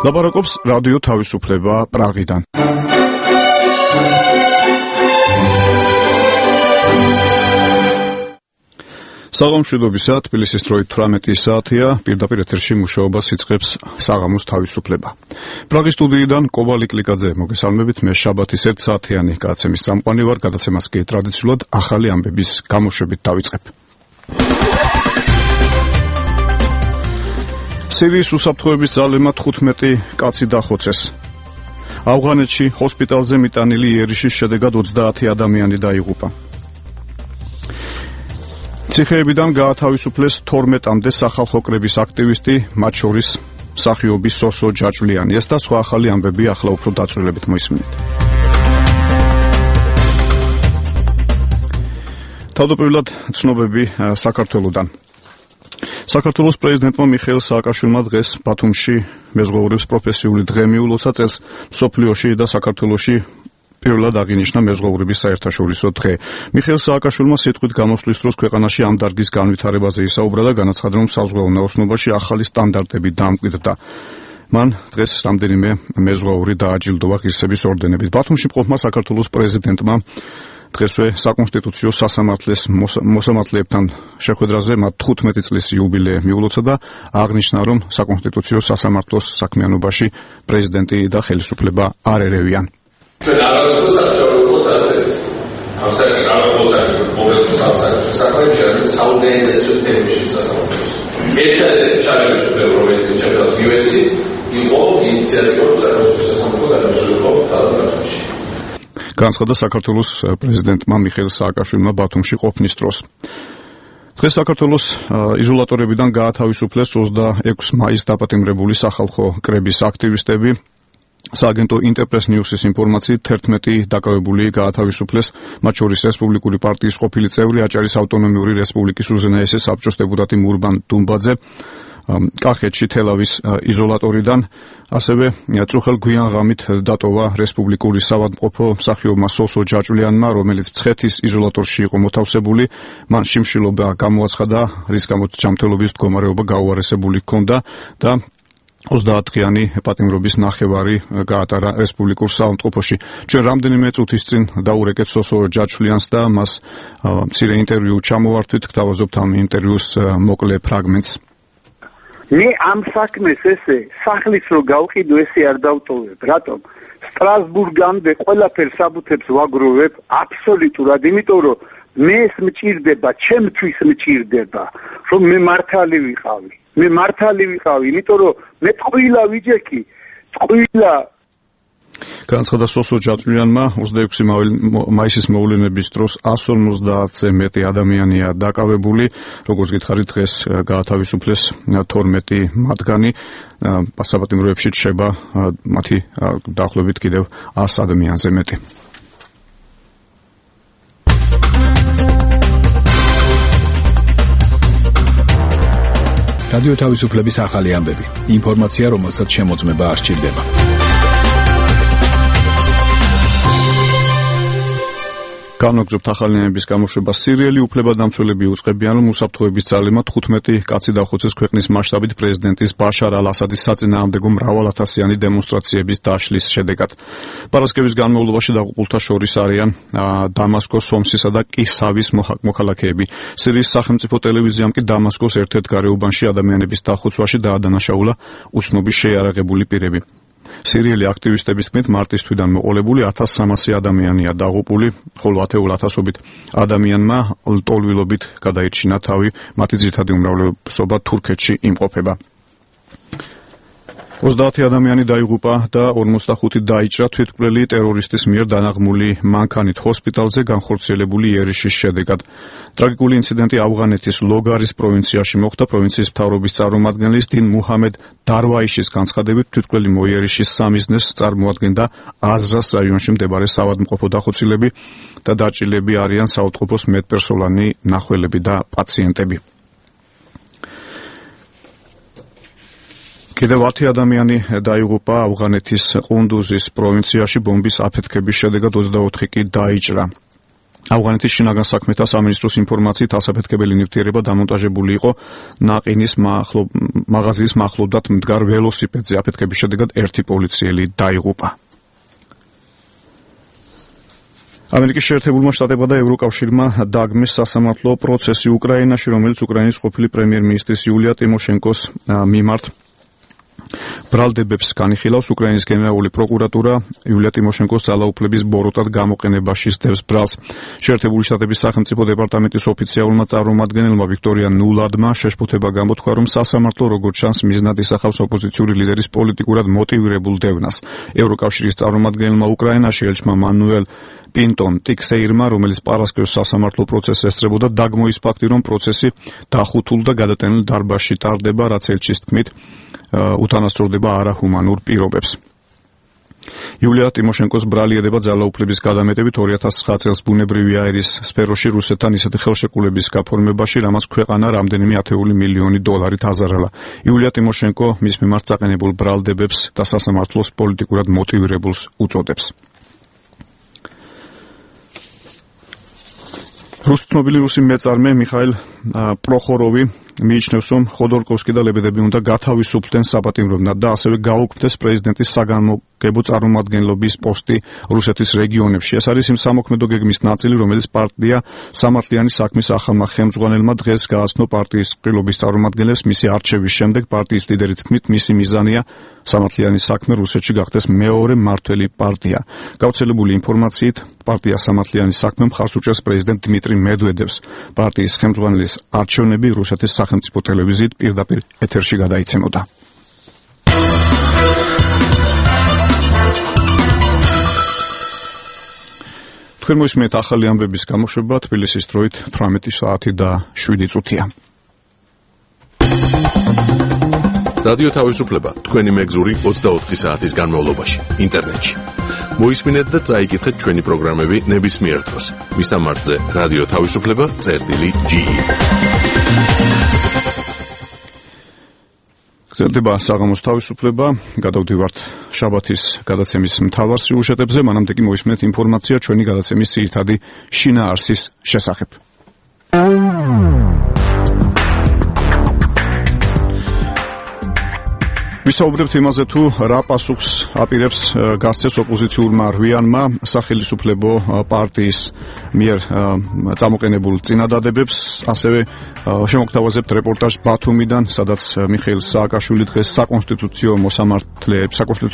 ლაპარაკობს რადიო თავისუფლება პრაღიდან. საღამოშვიდობისა, თბილისის დროით 18 საათია, პირდაპირ ეთერში მუშაობას იწყებს საღამოს თავისუფლება. პრაღის სტუდიიდან კოვალი კლიკაძე მოგესალმებით, მე შაბათის 1 საათიანი გადაცემის წამყვანი ვარ, გადაცემას კი ტრადიციულად ახალი ამბების გამოშვებით დავიწყებ. სირიის უსაფრთხოების ძალებმა 15 კაცი დახოცეს. ავღანეთში ჰოსპიტალზე მიტანილი იერიშის შედეგად 30 ადამიანი დაიღუპა. ციხეებიდან გაათავისუფლეს 12-მდე სახალხო კრების აქტივისტი, მათ შორის მსახიობი სოსო ჯაჭვლიანი. ეს და სხვა ახალი ამბები ახლა უფრო დაწვრილებით მოისმინეთ. თავდაპირველად ცნობები საქართველოდან. საქართველოს პრეზიდენტმა მიხეილ სააკაშვილმა დღეს ბათუმში მეზღვაურებს პროფესიული დღე მიულოცა. წელს მსოფლიოში და საქართველოში პირველად აღინიშნა მეზღვაურების საერთაშორისო დღე. მიხეილ სააკაშვილმა სიტყვით გამოსვლის დროს ქვეყანაში ამ დარგის განვითარებაზე ისაუბრა და განაცხადა, რომ საზღვაო ნაოსნობაში ახალი სტანდარტები დაამკვიდრდა. მან დღეს რამდენიმე მეზღვაური დააჯილდოვა ღირსების ორდენებით. ბათუმში მყოფმა საქართველოს პრეზიდენტმა დღესვე საკონსტიტუციო სასამართლოს მოსამართლეებთან შეხვედრაზე მათ 15 წლის იუბილე მიულოცა და აღნიშნა, რომ საკონსტიტუციო სასამართლოს საქმიანობაში პრეზიდენტი და ხელისუფლება არ ერევიან. განაცხადა საქართველოს პრეზიდენტმა მიხეილ სააკაშვილმა ბათუმში ყოფნის დროს. დღეს საქართველოს იზოლატორებიდან გაათავისუფლეს 26 მაისს დაპატიმრებული სახალხო კრების აქტივისტები. სააგენტო ინტერპრეს ნიუსის ინფორმაციით 11 დაკავებული გაათავისუფლეს, მათ შორის რესპუბლიკური პარტიის ყოფილი წევრი, აჭარის ავტონომიური რესპუბლიკის უზენაესი საბჭოს დეპუტატი მურბან დუმბაძე, კახეთში თელავის იზოლატორიდან, ასევე წუხელ გვიან ღამით დატოვა რესპუბლიკური საავადმყოფო მსახიობმა სოსო ჯაჭვლიანმა, რომელიც მცხეთის იზოლატორში იყო მოთავსებული. მან შიმშილობა გამოაცხადა, რის გამოც ჯანმრთელობის მდგომარეობა გაუარესებული ჰქონდა და 30 დღიანი პატიმრობის ნახევარი გაატარა რესპუბლიკურ საავადმყოფოში. ჩვენ რამდენიმე წუთის წინ დაურეკეთ სოსო ჯაჭვლიანს და მას მცირე ინტერვიუ ჩამოვართვით, გთავაზობთ ამ ინტერვიუს მოკლე ფრაგმენტს. მე ამ საქმეს ესე სახლის რო გავყიდო, ესე არ დავტოვებ. რატომ? სტრასბურგამდე ყველაფერს საბუთებს ვაგროვებ აბსოლუტურად, იმიტომ რომ მეს მჭირდება, ჩემთვის მჭირდება, რომ მე მართალი ვიყავი. მე მართალი ვიყავი, იმიტომ რომ მე ტყუილა ვიჯექი, ტყუილა. განაცხადა სოსო ჯაჭვლიანმა 26 მაისის მოვლენების დროს 150-ზე მეტი ადამიანია დაკავებული, როგორც გითხარით, დღეს გაათავისუფლეს 12 მათგანი, პასაპატიმროებში რჩება მათი დაახლოებით კიდევ 100 ადამიანზე მეტი. რადიო თავისუფლების ახალი ამბები. ინფორმაცია, რომელსაც შემოწმება არ სჭირდება. განვაგრძობთ ახალი ამბების გამოშვებას. სირიელი უფლებადამცველები უწყებიან, რომ უსაფრთხოების ძალებმა 15 კაცი დახოცეს ქვეყნის მასშტაბით პრეზიდენტის ბაშარ ალ-ასადის საწინააღმდეგო მრავალათასიანი დემონსტრაციების დაშლის შედეგად. პარასკევის განმავლობაში დაღუპულთა შორის არიან დამასკოს, ჰომსისა და კისავის მოქალაქეები. სირიის სახელმწიფო ტელევიზიამ კი დამასკოს ერთ-ერთ გარეუბანში ადამიანების დახოცვაში დაადანაშაულა უცნობი შეიარაღებული პირები. სირიელი აქტივისტების თქმით, მარტის თვიდან მოყოლებული 1300 ადამიანია დაღუპული, ხოლო ათეულ ათასობით ადამიანმა ლტოლვილობით გადაირჩინა თავი, მათი ძირითადი უმრავლესობა თურქეთში იმყოფება. 30 ადამიანი დაიღუპა და 45 დაიჭრა თვითმკვლელი ტერორისტის მიერ დანაღმული მანქანით ჰოსპიტალზე განხორციელებული იერიშის შედეგად. ტრაგიკული ინციდენტი ავღანეთის ლოგარის პროვინციაში მოხდა. პროვინციის მთავრობის წარმომადგენლის დინ მუჰამედ დარვაიშის განცხადებით, თვითმკვლელი მოიერიშის სამიზნეს წარმოადგენდა აზრას რაიონში მდებარე საავადმყოფო დახოცილები და დაჭილები არიან საავადმყოფოს მეტპერსონალი, ნახველები და პაციენტები. კიდევ 10 ადამიანი დაიღუპა ავღანეთის ყუნდუზის პროვინციაში ბომბის აფეთქების შედეგად 24 კი დაიჭრა. ავღანეთის შინაგან საქმეთა სამინისტროს ინფორმაციით ასაფეთქებელი ნივთიერება დამონტაჟებული იყო ნაყინის მაღაზიის მახლობლად მდგარ ველოსიპედზე. აფეთქების შედეგად ერთი პოლიციელი დაიღუპა. ამერიკის შეერთებულმა შტატებმა და ევროკავშირმა დაგმეს სასამართლო პროცესი უკრაინაში, რომელიც უკრაინის ყოფილი პრემიერ-მინისტრის იულია ტიმოშენკოს მიმართ ბრალდებებს განიხილავს. უკრაინის გენერალური პროკურატურა იულია ტიმოშენკოს ძალაუფლების ბოროტად გამოყენებაში სდევს ბრალს. შეერთებული შტატების სახელმწიფო დეპარტამენტის ოფიციალურმა წარმომადგენელმა ვიქტორია ნულადმა შეშფოთება გამოთქვა, რომ სასამართლო როგორც ჩანს მიზნად ისახავს ოპოზიციური ლიდერის პოლიტიკურად მოტივირებულ დევნას. ევროკავშირის წარმომადგენელმა უკრაინაში ელჩმა მანუელ პინტონ ტიქსეირმა, რომელიც პარასკევს სასამართლო პროცესს ესწრებოდა, დაგმოის ფაქტი, რომ პროცესი დახუთულ და გადატენილ დარბაზში ტარდება, რაც ელჩის თქმით უთანასწორდება არაჰუმანურ პირობებს. იულია ტიმოშენკოს ბრალი ედება ძალაუფლების გადამეტებით 2009 წელს ბუნებრივი აირის სფეროში რუსეთთან ისეთი ხელშეკრულების გაფორმებაში, რამაც ქვეყანა რამდენიმე ათეული მილიონი დოლარით აზარალა. იულია ტიმოშენკო მის მიმართ წაყენებულ ბრალდებებს და სასამართლოს პოლიტიკურად მოტივირებულს უწოდებს. რუსთნობილი რუსი მეწარმე მიხაილ პროხოროვი მიიჩნევს, რომ ხოდორკოვსკი და ლებედები უნდა გათავისუფლდნენ საპატიმროვნად და ასევე გაუქმდეს პრეზიდენტის საგამოგებო წარმომადგენლობის პოსტი რუსეთის რეგიონებში. ეს არის იმ სამოქმედო გეგმის ნაწილი, რომელიც პარტია სამართლიანი საქმის ახალმა ხელმძღვანელმა დღეს გააცნო პარტიის ყრილობის წარმომადგენლებს მისი არჩევის შემდეგ. პარტიის ლიდერი თქმით, მისი მიზანია სამართლიანი საქმე რუსეთში გახდეს მეორე მმართველი პარტია. გავრცელებული ინფორმაციით, პარტია სამართლიანი საქმე მხარს უჭერს პრეზიდენტ დიმიტრი მედვედევს. პარტიის ხელმძღვანელის არჩევნები რუსეთის სახელმწიფო ტელევიზიით პირდაპირ ეთერში გადაიცემოდა. თქვენ მოისმენთ ახალი ამბების გამოშვება თბილისის დროით 18 საათი და 7 წუთია. რადიო თავისუფლება თქვენი მეგზური 24 საათის განმავლობაში ინტერნეტში. მოისმინეთ და წაიკითხეთ ჩვენი პროგრამები ნებისმიერ დროს. მისამართზე რადიო თავისუფლება.ge. გრძელდება საღამოს თავისუფლება. გადავდივართ შაბათის გადაცემის მთავარ სიუჟეტებზე, მანამდე კი მოისმენთ ინფორმაცია ჩვენი გადაცემის ძირითადი შინაარსის შესახებ. ვისაუბრებთ იმაზე, თუ რა პასუხს აპირებს გასცეს ოპოზიციურმა რვიანმა სახელმწიფო პარტიის მიერ წამოყენებულ წინადადებებს, ასევე შემოგთავაზებთ რეპორტაჟს ბათუმიდან, სადაც მიხეილ სააკაშვილი დღეს საკონსტიტუციო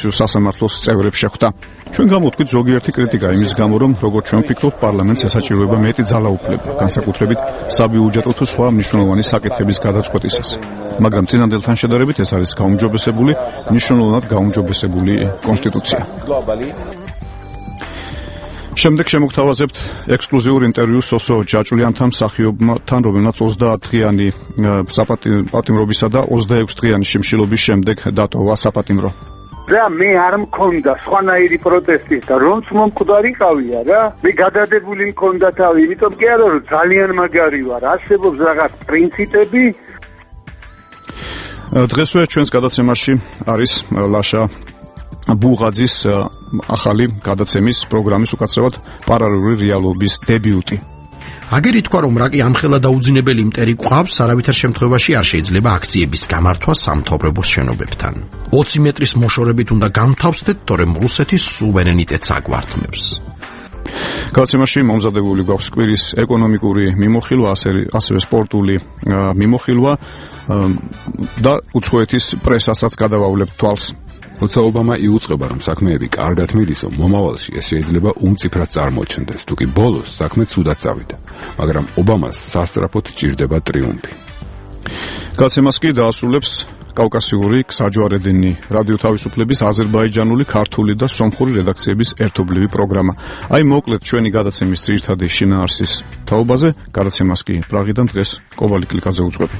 სასამართლოს წევრებს შეხვდა. ჩვენ გამოვთქვით ზოგიერთი კრიტიკა იმის გამო, რომ როგორც ჩვენ ვფიქრობთ, პარლამენტს ესაჭიროება მეტი ძალაუფლება, განსაკუთრებით საბიუჯეტო თუ სხვა მნიშვნელოვანი საკითხების გადაწყვეტისას. მაგრამ წინანდელთან შედარებით ეს არის გაუმჯობესებული, მნიშვნელოვნად გაუმჯობესებული კონსტიტუცია. შემდეგ შემოგთავაზებთ ექსკლუზიურ ინტერვიუს სოსო ჯაჭვლიანთან, მსახიობთან, რომელმაც 30 დღიანი საპატიმრობისა და 26 დღიანი შიმშილობის შემდეგ დატოვა საპატიმრო. რა მე არ მქონდა სხვანაირი პროტესტის და რომც მომკვდარიყავია რა, მე გადადებული მქონდა თავი, იმიტომ კი არა რომ ძალიან მაგარი ვარ, არსებობს რაღაც პრინციპები. დღესვე ჩვენს გადაცემაში არის ლაშა ბუღაძის ახალი გადაცემის პროგრამის უკაცრავად პარალელური რეალობის დებიუტი. აგერ ითქვა, რომ რაკი ამხელა დაუძინებელი მტერი გვყავს, არავითარ შემთხვევაში არ შეიძლება აქციების გამართვა სამთავრობო შენობებთან. 20 მეტრის მოშორებით უნდა გამთავსდეთ, თორემ რუსეთის სუვერენიტეტს აგვართმევს. გადაცემაში მომზადებული გვაქვს კვირის ეკონომიკური მიმოხილვა, ასევე სპორტული მიმოხილვა და უცხოეთის პრესასაც გადავავლებთ თვალს. როცა ობამა იუწყება, რომ საქმეები კარგად მიდისო, მომავალში ეს შეიძლება უმწიფრად წარმოჩნდეს, თუკი ბოლოს საქმე ცუდად წავიდა, მაგრამ ობამას სასწრაფოდ ჭირდება ტრიუმფი. გადაცემას კი დაასრულებს კავკასიური საჯვარედინი რადიო თავისუფლების აზერბაიჯანული, ქართული და სომხური რედაქციების ერთობლივი პროგრამა. აი მოკლედ ჩვენი გადაცემის ძირითადი შინაარსის თაობაზე, გადაცემას კი პრაღიდან დღეს კობალი კლიკაძე უძღვები.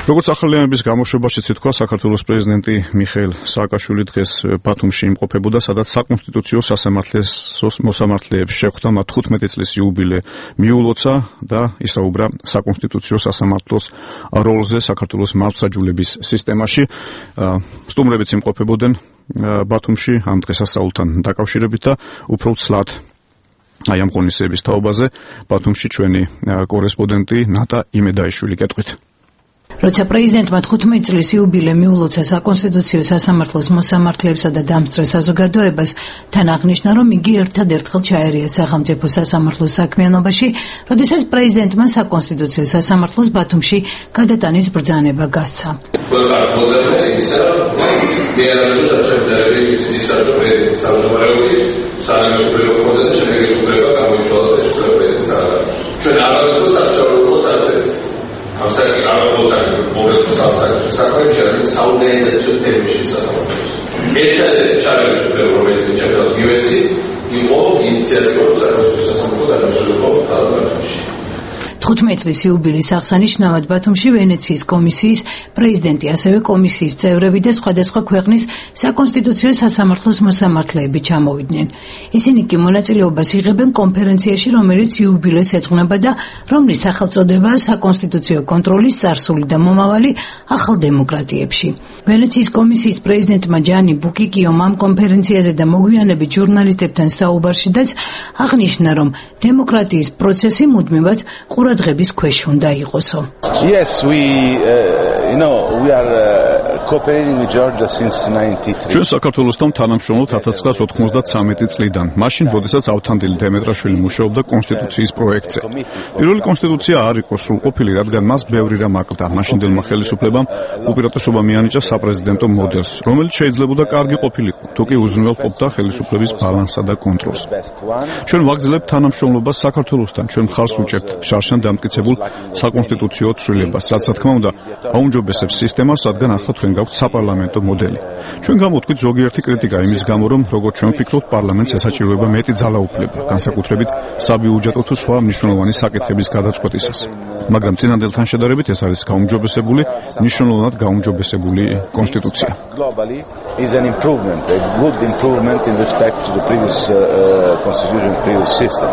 როგორც ახალი ამბების გამოშვებაშიც ითქვა, საქართველოს პრეზიდენტი მიხეილ სააკაშვილი დღეს ბათუმში იმყოფებოდა, სადაც საკონსტიტუციო სასამართლოს მოსამართლეებს შეხვდა, მათ 15 წლის იუბილე მიულოცა და ისაუბრა საკონსტიტუციო სასამართლოს როლზე საქართველოს მართლმსაჯულების სისტემაში. სტუმრებიც იმყოფებოდნენ ბათუმში ამ დღესასწაულთან დაკავშირებით და უფრო ცლად აი ამ ღონისძიების თაობაზე ბათუმში ჩვენი კორესპონდენტი ნატა იმედაიშვილი კეთყვით. როცა პრეზიდენტმა 15 წლის იუბილე მიულოცა საკონსტიტუციო სასამართლოს მოსამართლეებსა და დამსწრე საზოგადოებას, თან აღნიშნა, რომ იგი ერთადერთხელ ჩაერია სახელმწიფო სასამართლოს საქმიანობაში, როდესაც პრეზიდენტმა საკონსტიტუციო სასამართლოს ბათუმში გადატანის ბრძანება გასცა. წლის იუბილის აღსანიშნავად ბათუმში ვენეციის კომისიის პრეზიდენტი, ასევე კომისიის წევრები და სხვადასხვა ქვეყნის საკონსტიტუციო სასამართლოს მოსამართლეები ჩამოვიდნენ. ისინი კი მონაწილეობას იღებენ კონფერენციაში, რომელიც იუბილეს ეძღვნება და რომლის სახელწოდებაა საკონსტიტუციო კონტროლის წარსული და მომავალი ახალ დემოკრატიებში. ვენეციის კომისიის პრეზიდენტმა ჯანი ბუკიკიომ ამ კონფერენციაზე და მოგვიანებით ჟურნალისტებთან საუბარშიდაც აღნიშნა, რომ დემოკრატიის პროცესი მუდმივად ყურადღების ქვეშ უნდა იყოსო. Yes, we are cooperating with Georgia since 93. ჩვენ საქართველოსთან თანამშრომლობთ 1993 წლიდან, მაშინ, როდესაც ავთანდილ დემეტრაშვილი მუშაობდა კონსტიტუციის პროექტზე. პირველი კონსტიტუცია არ იყო სრულყოფილი, რადგან მას ბევრი რამ აკლდა. მაშინდელმა ხელისუფლებამ უპირატესობა მიანიჭა საპრეზიდენტო მოდელს, რომელიც შეიძლებოდა კარგი ყოფილიყო, თუკი უზრუნველყოფდა ხელისუფლების ბალანსსა და კონტროლს. ჩვენ ვაგრძელებთ თანამშრომლობას საქართველოსთან, ჩვენ მხარს ვუჭერთ შარშან დამტკიცებულ საკონსტიტუციო ცვლილებას, რაც, რა თქმა უნდა, აუმჯობესებს სისტემას, რადგან ახლა თქვენ გაქვთ საპარლამენტო მოდელი. ჩვენ გამოვთქვით ზოგიერთი კრიტიკა იმის გამო, რომ როგორც ჩვენ ვფიქრობთ, პარლამენტს ესაჭიროება მეტი ძალაუფლება, განსაკუთრებით საბიუჯეტო თუ სხვა მნიშვნელოვანი საკითხების გადაწყვეტისას. მაგრამ წინანდელთან შედარებით ეს არის გაუმჯობესებული, მნიშვნელოვნად გაუმჯობესებული კონსტიტუცია. Globally is an improvement, a good improvement in respect to the previous constitution, previous system.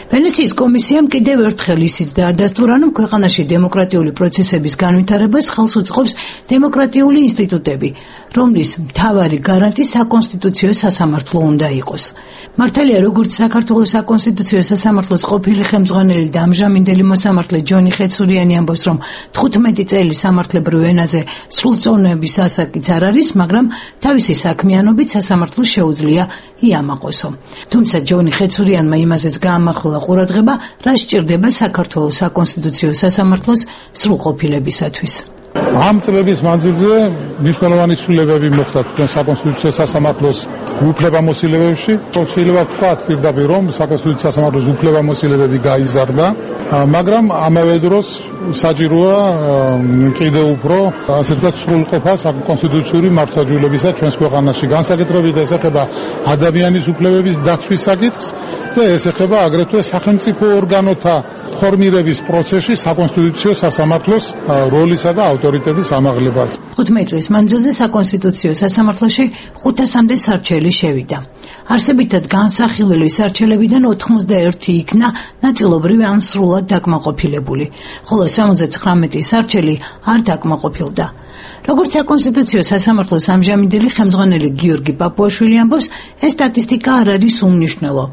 ვენეციის კომისიამ კიდევ ერთხელ ისიც დაადასტურა, რომ ქვეყანაში დემოკრატიული პროცესების განვითარებას ხელს უწყობს დემოკრატიული ინსტიტუტები, რომლის მთავარი გარანტი საკონსტიტუციო სასამართლო უნდა იყოს. მართალია, როგორც საქართველოს საკონსტიტუციო სასამართლოს ყოფილი ხელმძღვანელი და ამჟამინდელი მოსამართლე ჯონი ხეცურიანი ამბობს, რომ 15 წელი სამართლებრივ ენაზე სრულწლოვნების ასაკიც არ არის, მაგრამ თავისი საქმიანობით სასამართლოს შეუძლია იამაყოსო. თუმცა ჯონი ხეცურიანმა იმაზეც გაამახვილა ყურადღება, რა სჭირდება საქართველოს საკონსტიტუციო სასამართლოს სრულყოფილებისათვის. ამ წლების მანძილზე მნიშვნელოვანი ცვლილებები მოხდა თქვენ საკონსტიტუციო სასამართლოს უფლებამოსილებებში. შეიძლება ვთქვათ პირდაპირ, რომ საკონსტიტუციო სასამართლოს უფლებამოსილებები გაიზარდა, მაგრამ ამავე დროს საჭიროა კიდევ უფრო, ასე ვთქვათ, სრულყოფა საკონსტიტუციური მართლმსაჯულებისა ჩვენს ქვეყანაში. განსაკუთრებით ეს ეხება ადამიანის უფლებების დაცვის საკითხს და ეს ეხება აგრეთვე სახელმწიფო ორგანოთა ფორმირების პროცესში საკონსტიტუციო სასამართლოს როლისა და ავტორიტეტის ამაღლებას. 15 წლის მანძილზე საკონსტიტუციო სასამართლოში 500-მდე სარჩელი შევიდა. არსებითად განსახილველი სარჩელებიდან 91 იქნა ნაწილობრივ ან სრულად დაკმაყოფილებული, ხოლო 79 სარჩელი არ დაკმაყოფილდა. როგორც საკონსტიტუციო სასამართლოს ამჟამინდელი ხელმძღვანელი გიორგი პაპუაშვილი ამბობს, ეს სტატისტიკა არ არის უმნიშვნელო.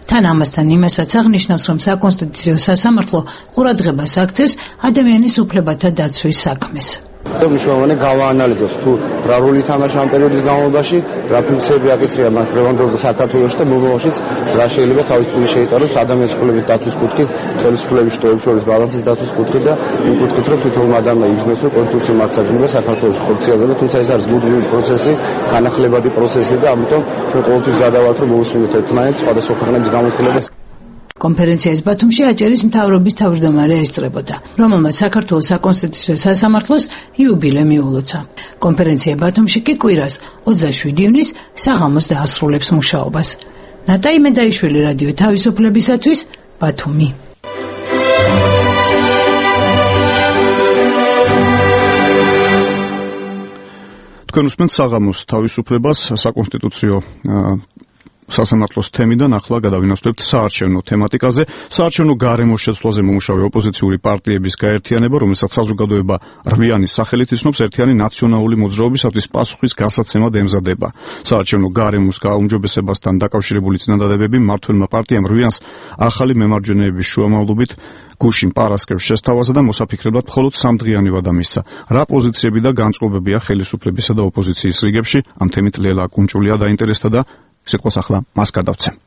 თან ამასთან იმასაც აღნიშნავს, რომ საკონსტიტუციო სასამართლო ყურადღებას აქცევს ადამიანის უფლებათა დაცვის საქმეს. მნიშვნელოვანი გავაანალიზოთ თუ რა როლი ითამაშა ამ პერიოდის განმავლობაში, რა ფუნქციები აკისრია მას დღევანდელ საქართველოში და მომავალშიც რა შეიძლება თავისუფლად შეიტანოს ადამიანის უფლების დაცვის კუთხით, ხელისუფლების შტოების შორის ბალანსის დაცვის კუთხით და იმ კუთხით, რომ თითოეულ ადამიანმა იგრძნოს, რომ კონსტიტუციური მართლმსაჯულება საქართველოში ხორციელდება, თუმცა ეს არის მუდმივი პროცესი, განახლებადი პროცესი და ამიტომ ჩვენ ყოველთვის ზადავართ, რომ მოვუსმინოთ ერთმანეთს სხვადასხვა ქვეყნების გამოცდილებას. კონფერენციას ბათუმში აჭარის მთავრობის თავმჯდომარე ესწრებოდა, რომელმაც საქართველოს საკონსტიტუციო სასამართლოს იუბილე მიულოცა. კონფერენცია ბათუმში კი კვირას 27 ივნის საღამოს დაასრულებს მუშაობას. ნატა იმედაიშვილი, რადიო თავისუფლებისათვის, ბათუმი. თქვენ უსმენთ საღამოს თავისუფლებას, საკონსტიტუციო სასამართლოს თემიდან ახლა გადავინაცვლებთ საარჩევნო თემატიკაზე. საარჩევნო გარემოს შეცვლაზე მომუშავე ოპოზიციური პარტიების გაერთიანება, რომელსაც საზოგადოება რვიანის სახელით იცნობს, ერთიანი ნაციონალური მოძრაობისათვის პასუხის გასაცემად ემზადება. საარჩევნო გარემოს გააუმჯობესებასთან დაკავშირებული წინადადებები მმართველმა პარტიამ რვიანს ახალი მემარჯვენეების შუამავლობით გუშინ პარასკევს შესთავაზა და მოსაფიქრებლად მხოლოდ 3 დღიანი ვადა მისცა. რა პოზიციები და განწყობებია ხელისუფლებისა და ოპოზიციის რიგებში? ამ თემით ლელა კუნჭულია დაინტერესდა და სიტყვას ახლა მას გადავცემ.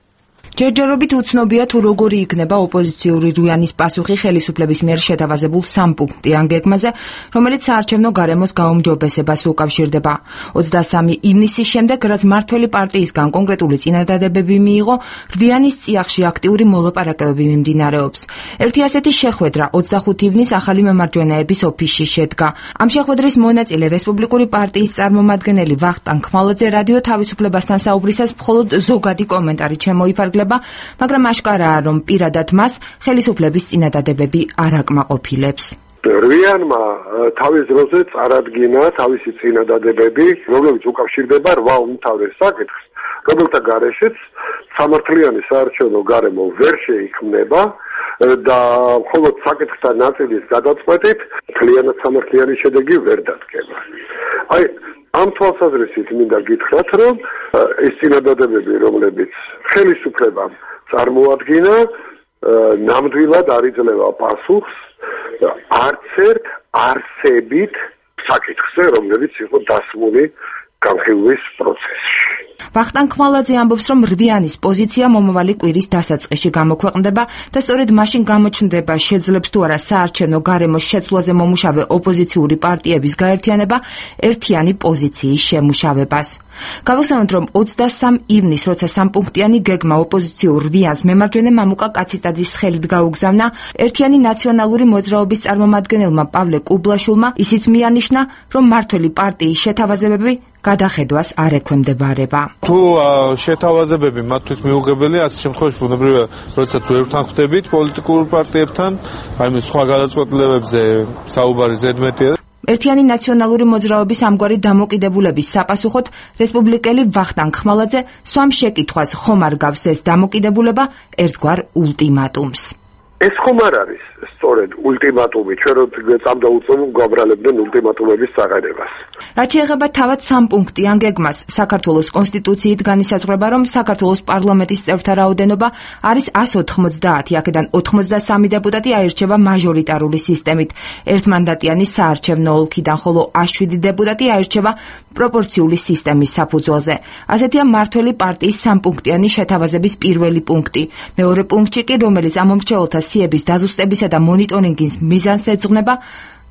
ჯერჯერობით უცნობია თუ როგორი იქნება ოპოზიციური რვიანის პასუხი ხელისუფლების მიერ შეთავაზებულ 3 პუნქტიან გეგმაზე, რომელიც საარჩევნო გარემოს გაუმჯობესებას უკავშირდება. 23 ივნისის შემდეგ, რაც მმართველი პარტიისგან კონკრეტული წინადადებები მიიღო, რვიანის წიაღში აქტიური მოლაპარაკებები მიმდინარეობს. ერთი ასეთი შეხვედრა 25 ივნისს ახალი მემარჯვენეების ოფისში შედგა. ამ შეხვედრის მონაწილე რესპუბლიკური პარტიის წარმომადგენელი ვახტანგ ხმალაძე რადიო თავისუფლებასთან საუბრისას მხოლოდ ზოგადი კომენტარი შემოიფარგლა, მაგრამ აშკარაა, რომ პირადად მას ხელისუფლების წინადადებები არ აკმაყოფილებს. რვიანმა თავის დროზე წარადგინა თავისი წინადადებები, რომლებიც უკავშირდება 8 უმთავრეს საკითხს, რომელთა გარეშეც სამართლიანი საარჩევნო გარემო ვერ შეიქმნება და მხოლოდ საკითხთა ნაწილის გადაწყვეტით მთლიანად სამართლიანი შედეგი ვერ დადგება. ამ თვალსაზრისით მინდა გითხრათ, რომ ეს წინადადებები, რომლებიც ხელისუფლებამ წარმოადგინა, ნამდვილად არ იძლევა პასუხს არც ერთ არსებით საკითხზე, რომლებიც იყო დასმული განხილვის პროცესში. ვახტანგ ხმალაძე ამბობს, რომ რვიანის პოზიცია მომავალი კვირის დასაწყისში გამოქვეყნდება და სწორედ მაშინ გამოჩნდება, შეძლებს თუ არა საარჩევნო გარემოს შეცვლაზე მომუშავე ოპოზიციური პარტიების გაერთიანება ერთიანი პოზიციის შემუშავებას. გავხსენოთ, რომ 23 ივნისს, როცა 3 პუნქტიანი გეგმა ოპოზიციურ რვიანს მემარჯვენე მამუკა კაციტაძის ხელით გაუგზავნა, ერთიანი ნაციონალური მოძრაობის წარმომადგენელმა პავლე კუბლაშვილმა ისიც მიანიშნა, რომ მმართველი პარტიის შეთავაზებები გადახედვას არ ექვემდებარება. თუ შეთავაზებები მათთვის მიუღებელია, ასეთ შემთხვევაში ბუნებრივია, როდესაც ვერ ვთანხმდებით პოლიტიკურ პარტიებთან, აი სხვა გადაწყვეტილებებზე საუბარი ზედმეტია. ერთიანი ნაციონალური მოძრაობის ამგვარი დამოკიდებულების საპასუხოდ რესპუბლიკელი ვახტანგ ხმალაძე სვამ შეკითხვას ხომ არ გავს ეს დამოკიდებულება ერთგვარ ულტიმატუმს. ეს ხომ არ არის სწორედ ულტიმატუმი, ჩვენ რო წამდაუწევ გვაბრალებდნენ ულტიმატუმების საყენებას. რაც შეეხება თავად 3 პუნქტიან გეგმას, საქართველოს კონსტიტუციით განისაზღვრება, რომ საქართველოს პარლამენტის წევრთა რაოდენობა არის 190, აქედან 83 დეპუტატი აირჩევა მაჟორიტარული სისტემით, ერთმანდატიანი საარჩევნო ოლქიდან, ხოლო 7 დეპუტატი აირჩევა პროპორციული სისტემის საფუძველზე. ასეთია მმართველი პარტიის 3 პუნქტიანი შეთავაზების პირველი პუნქტი. მეორე პუნქტი კი, რომელიც ამომრჩეველთა სიების დაზუსტებისა და მონიტორინგის მიზანს ეძღვნება,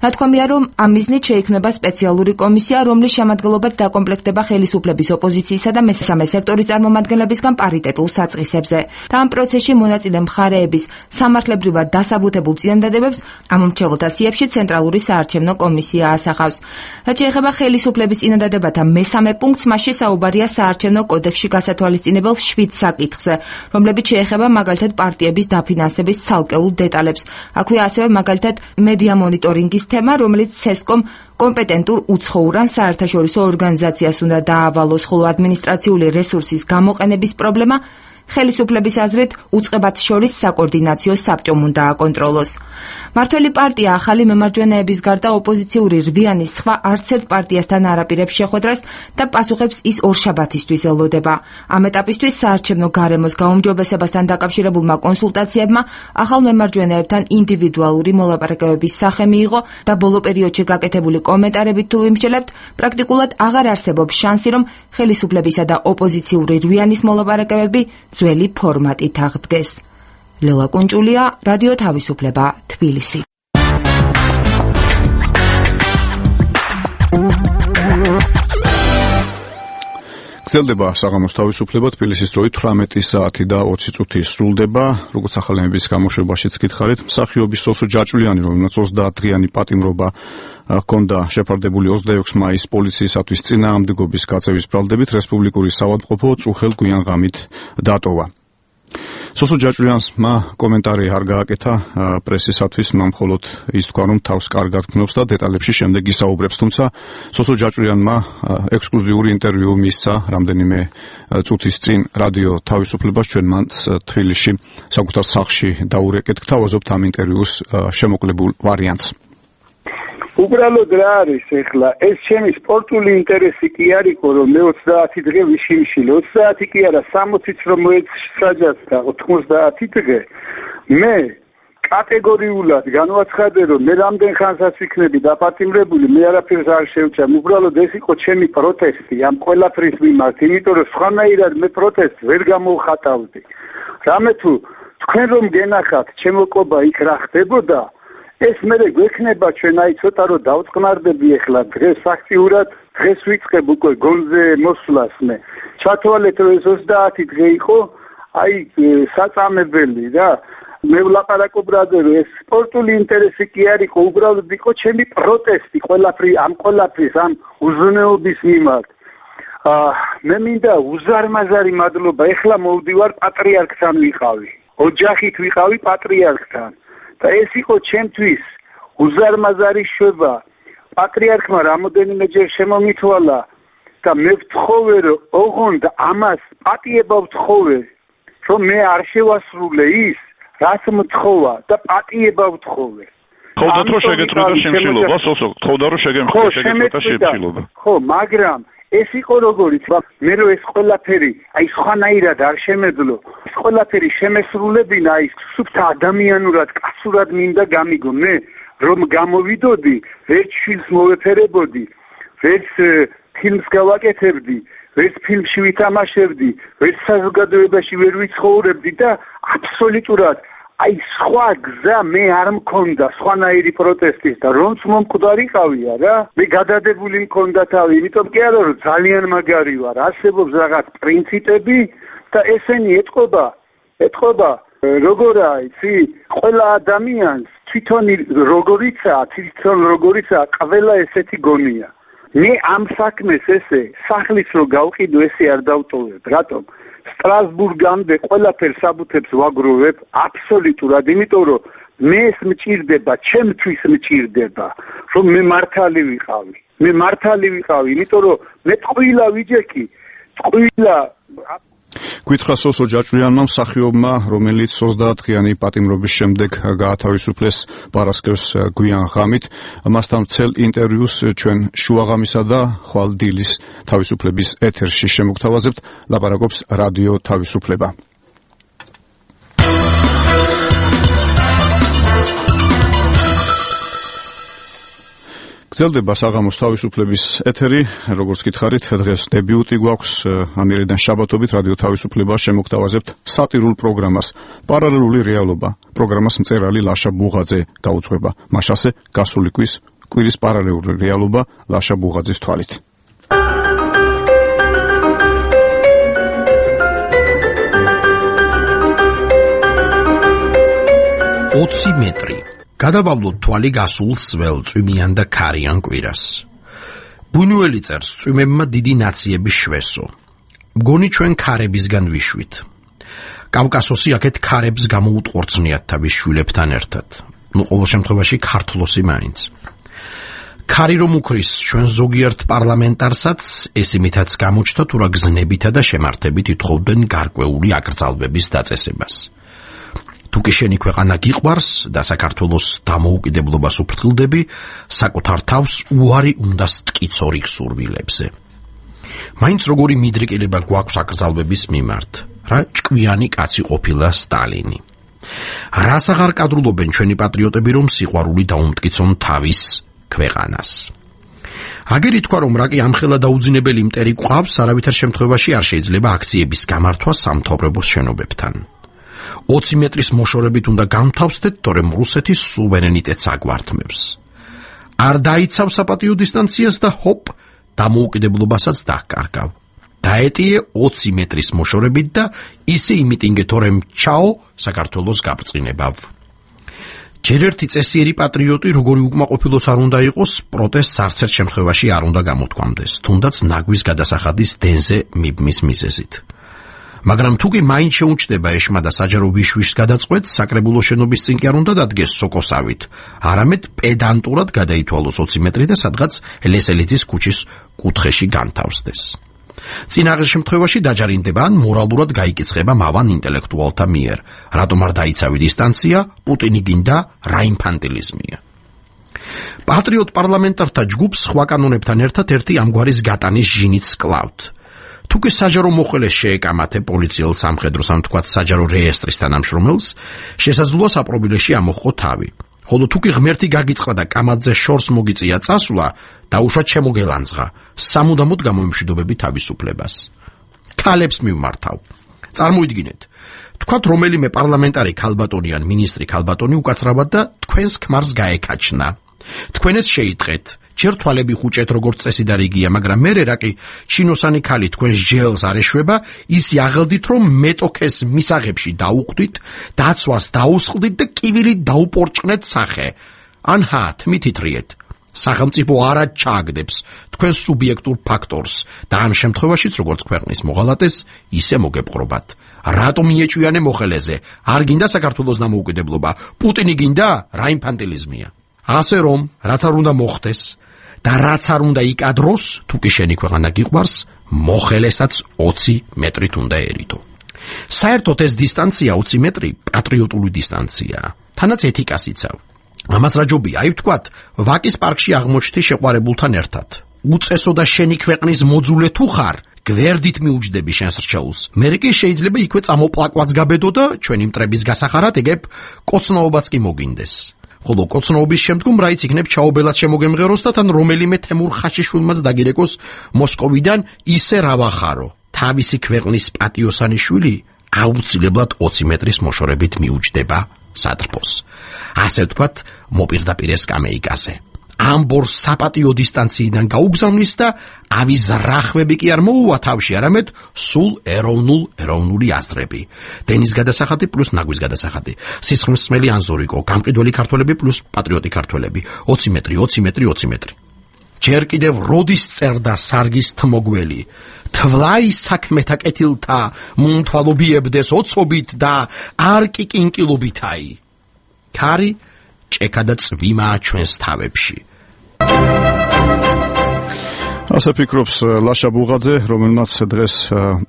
ნათქვამია, რომ ამ მიზნით შეიქმნება სპეციალური კომისია, რომლის შემადგენლობაც დაკომპლექტდება ხელისუფლების ოპოზიციისა და მესამე სექტორის წარმომადგენლებისგან პარიტეტულ საწყისებზე. და ამ პროცესში მონაწილე მხარეების სამართლებრივად დასაბუთებულ წინადადებებს ამომრჩეველთა სიებში ცენტრალური საარჩევნო კომისია ასახავს. რაც შეეხება ხელისუფლების წინადადებათა მესამე პუნქტს, მასში საუბარია საარჩევნო კოდექსში გასათვალისწინებელ 7 საკითხზე, რომლებიც შეეხება მაგალითად პარტიების დაფინანსების ცალკეულ დეტალებს. აქვეა ასევე მაგალითად მედია მონიტორინგის თემა, რომელიც CESCOM კომპეტენტურ უცხოურ ან საერთაშორისო ორგანიზაციას უნდა დაავალოს, ხოლო ადმინისტრაციული რესურსის გამოყენების პრობლემა ხელისუფლების აზრით უწყებათ შორის საკოორდინაციო საბჭომ უნდა აკონტროლოს. მმართველი პარტია ახალი მემარჯვენეების გარდა ოპოზიციური რვიანის სხვა არც ერთ პარტიასთან არ აპირებს შეხვედრას და პასუხებს ის ორშაბათისთვის ელოდება. ამ ეტაპისთვის საარჩევნო გარემოს გაუმჯობესებასთან დაკავშირებულმა კონსულტაციებმა ახალ მემარჯვენეებთან ინდივიდუალური მოლაპარაკებების სახე მიიღო და ბოლო პერიოდში გაკეთებული კომენტარებით თუ ვიმსჯელებთ, პრაქტიკულად აღარ არსებობს შანსი, რომ ხელისუფლებისა და ოპოზიციური რვიანის მოლაპარაკებები ძველი ფორმატით აღდგეს. ლელა კუნჭულია, რადიო თავისუფლება, თბილისი. გრძელდება საღამოს თავისუფლება, თბილისის დროით 18 საათი და 20 წუთი სრულდება. როგორც ახალების გამოშვებაშიც გითხარით, მსახიობის სოსო ჯაჭვლიანი, რომელსაც 30 დღიანი პატიმრობა ჰქონდა შეფარდებული 26 მაისს პოლიციისათვის წინააღმდეგობის გაწევის ბრალდებით, რესპუბლიკური საავადმყოფო წუხელ გვიან ღამით დატოვა. სოსო ჯაჭვიანმა კომენტარი არ გააკეთა პრესისათვის, მან მხოლოდ ის თქვა, რომ თავს კარგად გნობს და დეტალებში შემდეგ ისაუბრებს, თუმცა სოსო ჯაჭვიანმა ექსკლუზიური ინტერვიუ მისცა რამდენიმე წუთის წინ რადიო თავისუფლებას, ჩვენ მან თბილისში საკუთარ სახლში დაურეკეთ, გთავაზობთ ამ ინტერვიუს შემოკლებულ ვარიანტს. უბრალოდ რა არის ეხლა ეს ჩემი სპორტული ინტერესი კი არისო რომ მე 30 დღე ვიშიმშილე 30 კი არა 60-იც რომ მოეცაჯაც და 90 დღე მე კატეგორიულად განვაცხადე რომ მე რამდენ ხანსაც ვიქნები დაპატიმრებული მე არაფერს არ შევჭამ უბრალოდ ეს იყო ჩემი პროტესტი ამ ყველაფრის მიმართ იმიტომ რომ სხვანაირად მე პროტესტს ვერ გამოვხატავდი რამე თუ თქვენ რომ გენახათ ჩემო ყობა იქ რა ხდებოდა ეს მე გვექნება ჩვენ აი ცოტა რომ დავწყნარდები ახლა დღეს ფაქტიურად დღეს ვიწყებ უკვე გონზე მოსვლას მე ჩათვალეთ რომ ეს 30 დღე იყო აი საწამებელი რა მე ვლაპარაკობ რაზე რომ ეს სპორტული ინტერესი კი არისო უბრალოდ იყო ჩემი პროტესტი ყველაფრის ამ უზრუნველობის მიმართ მე მინდა უზარმაზარი მადლობა ეხლა მოვდივარ პატრიარქთან ვიყავი ოჯახით ვიყავი პატრიარქთან და ეს იყო ჩემთვის უზარმაზარი შვება პატრიარქმა რამოდენიმეჯერ შემომითვალა და მე ვთხოვე რომ ოღონდ ამას პატიება ვთხოვე რომ მე არ შევასრულე ის რაც მთხოვა და პატიება ვთხოვე ხოდათ რომ შეგეწყვიტა შემშილობა სოსო ხოდა რომ შეგეწყვიტა შემშილობა ხო მაგრამ ეს იყო როგორიც მე რომ ეს ყველაფერი აი სხვანაირად არ შემეძლო ეს ყველაფერი შემესრულებინა აი სუფთა ადამიანურად კაცურად მინდა გამიგო მე რომ გამოვიდოდი ვერც შვილს მოვეფერებოდი ვერც ფილმს გავაკეთებდი ვერც ფილმში ვითამაშებდი ვერც საზოგადოებაში ვერ ვიცხოვრებდი და აბსოლუტურად აი სხვა გზა მე არ მქონდა სხვანაირი პროტესტის და რომც მომკვდარიყავია რა მე გადადებული მქონდა თავი იმიტომ კი არა რომ ძალიან მაგარი ვარ არსებობს რაღაც პრინციპები და ესენი ეთყობა როგორაა იცი ყველა ადამიანს თვითონ როგორიცაა ყველა ესეთი გონია მე ამ საქმეს ესე სახლის რო გავყიდო ესე არ დავტოვებ რატომ სტრასბურგამდე ყველაფერს საბუთებს ვაგროვებ აბსოლუტურად იმიტომ რომ მე ეს მჭირდება ჩემთვის მჭირდება რომ მე მართალი ვიყავი იმიტომ რომ მე ტყუილა ვიჯექი ტყუილა გითხრა სოსო ჯაჭვიანმა მსახიობმა რომელიც 30 დღიანი პატიმრობის შემდეგ გაათავისუფლეს პარასკევს გვიან ღამით მასთან ცელ ინტერვიუს ჩვენ შუაღამისა და ხვალ დილის თავისუფლების ეთერში შემოგთავაზებთ ლაპარაკობს რადიო თავისუფლება გრძელდება საღამოს თავისუფლების ეთერი, როგორც გითხარით, დღეს დებიუტი გვაქვს, ამერიდან შაბათობით რადიო თავისუფლება შემოგთავაზებთ სატირულ პროგრამას პარალელური რეალობა. პროგრამას მწერალი ლაშა ბუღაძე გაუძღვება. მაშასე გასული კვირის პარალელური რეალობა ლაშა ბუღაძის თვალით. მეტრი გადავალოთ თვალი გასულ სველ წვიმიან და ქარიან კვირას. ბუნუელი წერს წვიმებმა დიდი ნაციების შვესო. მგონი ჩვენ ქარებისგან ვიშვით. კავკასოსი აქეთ ქარებს გამოუტყორცნიათ თავის შვილებთან ერთად. ყოველ შემთხვევაში ქართლოსი მაინც. ქარი რომ უქრის ჩვენ ზოგიერთ პარლამენტარსაც ეს იმითაც გამოჩნდა თუ რა გზნებითა და შემართებით ითხოვდნენ გარკვეული აკრძალვების დაწესებას. თუკი შენი ქვეყანა გიყვარს და საქართველოს დამოუკიდებლობას უფრთხილდები, საკუთარ თავს უარი უნდა სტკიცო რიგ სურვილებზე. მაინც როგორი მიდრეკილება გვაქვს აკრძალვების მიმართ, რა ჭკვიანი კაცი ყოფილა სტალინი. რას აღარ კადრულობენ ჩვენი პატრიოტები, რომ სიყვარული დაუმტკიცონ თავის ქვეყანას. აგერ ითქვა, რომ რა კი ამხელა დაუძინებელი მტერი გვყავს, არავითარ შემთხვევაში არ შეიძლება აქციების გამართვა სამთავრობოს შენობებთან. 20 მეტრის მოშორებით უნდა გამთავსდეთ, თორემ რუსეთის სუვერენიტეტს აგვართმევს. არ დაიცავ საპატიო დისტანციას და ჰოპ, დამოუკიდებლობასაც დაკარგავ. დაეტიე 20 მეტრის მოშორებით და ისე იმიტინგე, თორემ ჩაო საქართველოს გაბრწყინებავ. ჯერ ერთი წესიერი პატრიოტი, როგორი უკმაყოფილოც არ უნდა იყოს, პროტესტს არც ერთ შემთხვევაში არ უნდა გამოთქვამდეს, თუნდაც ნაგვის გადასახადის დენზე მიბმის მიზეზით. მაგრამ თუ კი მაინც შეუჩდება ეშმა და საჯარო ვიშვიშს გადაწყვეტს, საკრებულო შენობის წინ კი არ უნდა დადგეს სოკოსავით, არამედ პედანტურად გადაითვალოს 20 მეტრი და სადღაც ლესელიძის ქუჩის კუთხეში განთავსდეს. წინ აღარ შემთხვევაში დაჯარიმდება ან მორალურად გაიკიცხება მავან ინტელექტუალთა მიერ, რატომ არ დაიცავი დისტანცია, პუტინი გინდა რა ინფანტილიზმია. პატრიოტ პარლამენტართა ჯგუფს სხვა კანონებთან ერთად ერთი ამგვარის გატანის ჟინიც კლავთ. თუ კი საჯარო მოხელეს შეეკამათე პოლიციელ სამხედროს ან თქვათ საჯარო რეესტრის თანამშრომელს, შესაძლოა საპრობილეში ამოხო თავი. ხოლო თუ კი ღმერთი გაგიწყდა და კამათზე შორს მოგიწია წასვლა, დაუშვათ შემოგელანძღა, სამუდამოდ გამოიმშვიდობები თავისუფლებას. ქალებს მივმართავ. წარმოიდგინეთ, თქვათ რომელიმე პარლამენტარი ქალბატონი ან მინისტრი ქალბატონი უკაცრავად და თქვენს ქმარს გაეკაჩნა. თქვენაც შეიტყეთ, ჯერ თვალები ხუჭეთ როგორც წესი და რიგია, მაგრამ მერე რა კი ჩინოსანი ქალი თქვენს ჯელს არ ეშვება, ისი აღელდით რომ მეტოქეს მისაღებში დაუყვდით, დაცვას დაუსხლდით და კივილით დაუპორჭყნეთ სახე. ანჰა თმითითრიეთ. სახელმწიფო არა ჩააგდებს თქვენს სუბიექტურ ფაქტორს და ამ შემთხვევაშიც როგორც ქვეყნის მოღალატეს ისე მოგეპყრობათ. რატომ მიეჭვიანე მოხელეზე? არ გინდა საქართველოს დამოუკიდებლობა? პუტინი გინდა? რა ინფანტილიზმია? ასე რომ, რაც არ უნდა მოხდეს და რაც არ უნდა იკადროს, თუ კი შენი ქვეყანა გიყვარს, მოხელესაც 20 მეტრით უნდა ერიდო. საერთოდ ეს დისტანცია 20 მეტრი პატრიოტული დისტანციაა. თანაც ეთიკას იცავ. ამას რა ჯობია, აი ვთქვათ, ვაკის პარკში აღმოჩნდი შეყვარებულთან ერთად. უწესო და შენი ქვეყნის მოძულე თუ ხარ, გვერდით მიუჯდები შენს რჩეულს. მერე კი შეიძლება იქვე წამოპლაკვაც გაბედო და ჩვენი მტრების გასახარად ეგებ კოცნაობაც კი მოგინდეს. ხოლო კოცნაობის შემდგომ რაიც იქნებ ჩაობელად შემოგემღეროს და თან რომელიმე თემურ ხაშიშვილმაც დაგირეკოს მოსკოვიდან ისე რა ვახარო. თავისი ქვეყნის პატიოსანი შვილი აუცილებლად 20 მეტრის მოშორებით მიუჯდება სადრფოს. ასე ვთქვათ, მოპირდაპირე სკამეიკაზე. ამბორ საპატიო დისტანციიდან გაუგზავნის და ავის რახვები კი არ მოუვა თავში, არამედ სულ ეროვნული აზრები. დენის გადასახადი პლუს ნაგვის გადასახადი. სისხლისმცემელი ანზორიკო, გამყიდველი ქართველები პლუს პატრიოტი ქართველები. 20 მეტრი, 20 მეტრი, 20 მეტრი. ჯერ კიდევ როდის წერდა სარგის თმოგველი. თვლაი საქმეთა კეთილთა, მომთვალობიებდეს ოცობით და არ კი კინკილობითაი. ქარი ჭექა და წვიმაა ჩვენს თავებში. ასე ფიქრობს ლაშა ბუღაძე, რომელმაც დღეს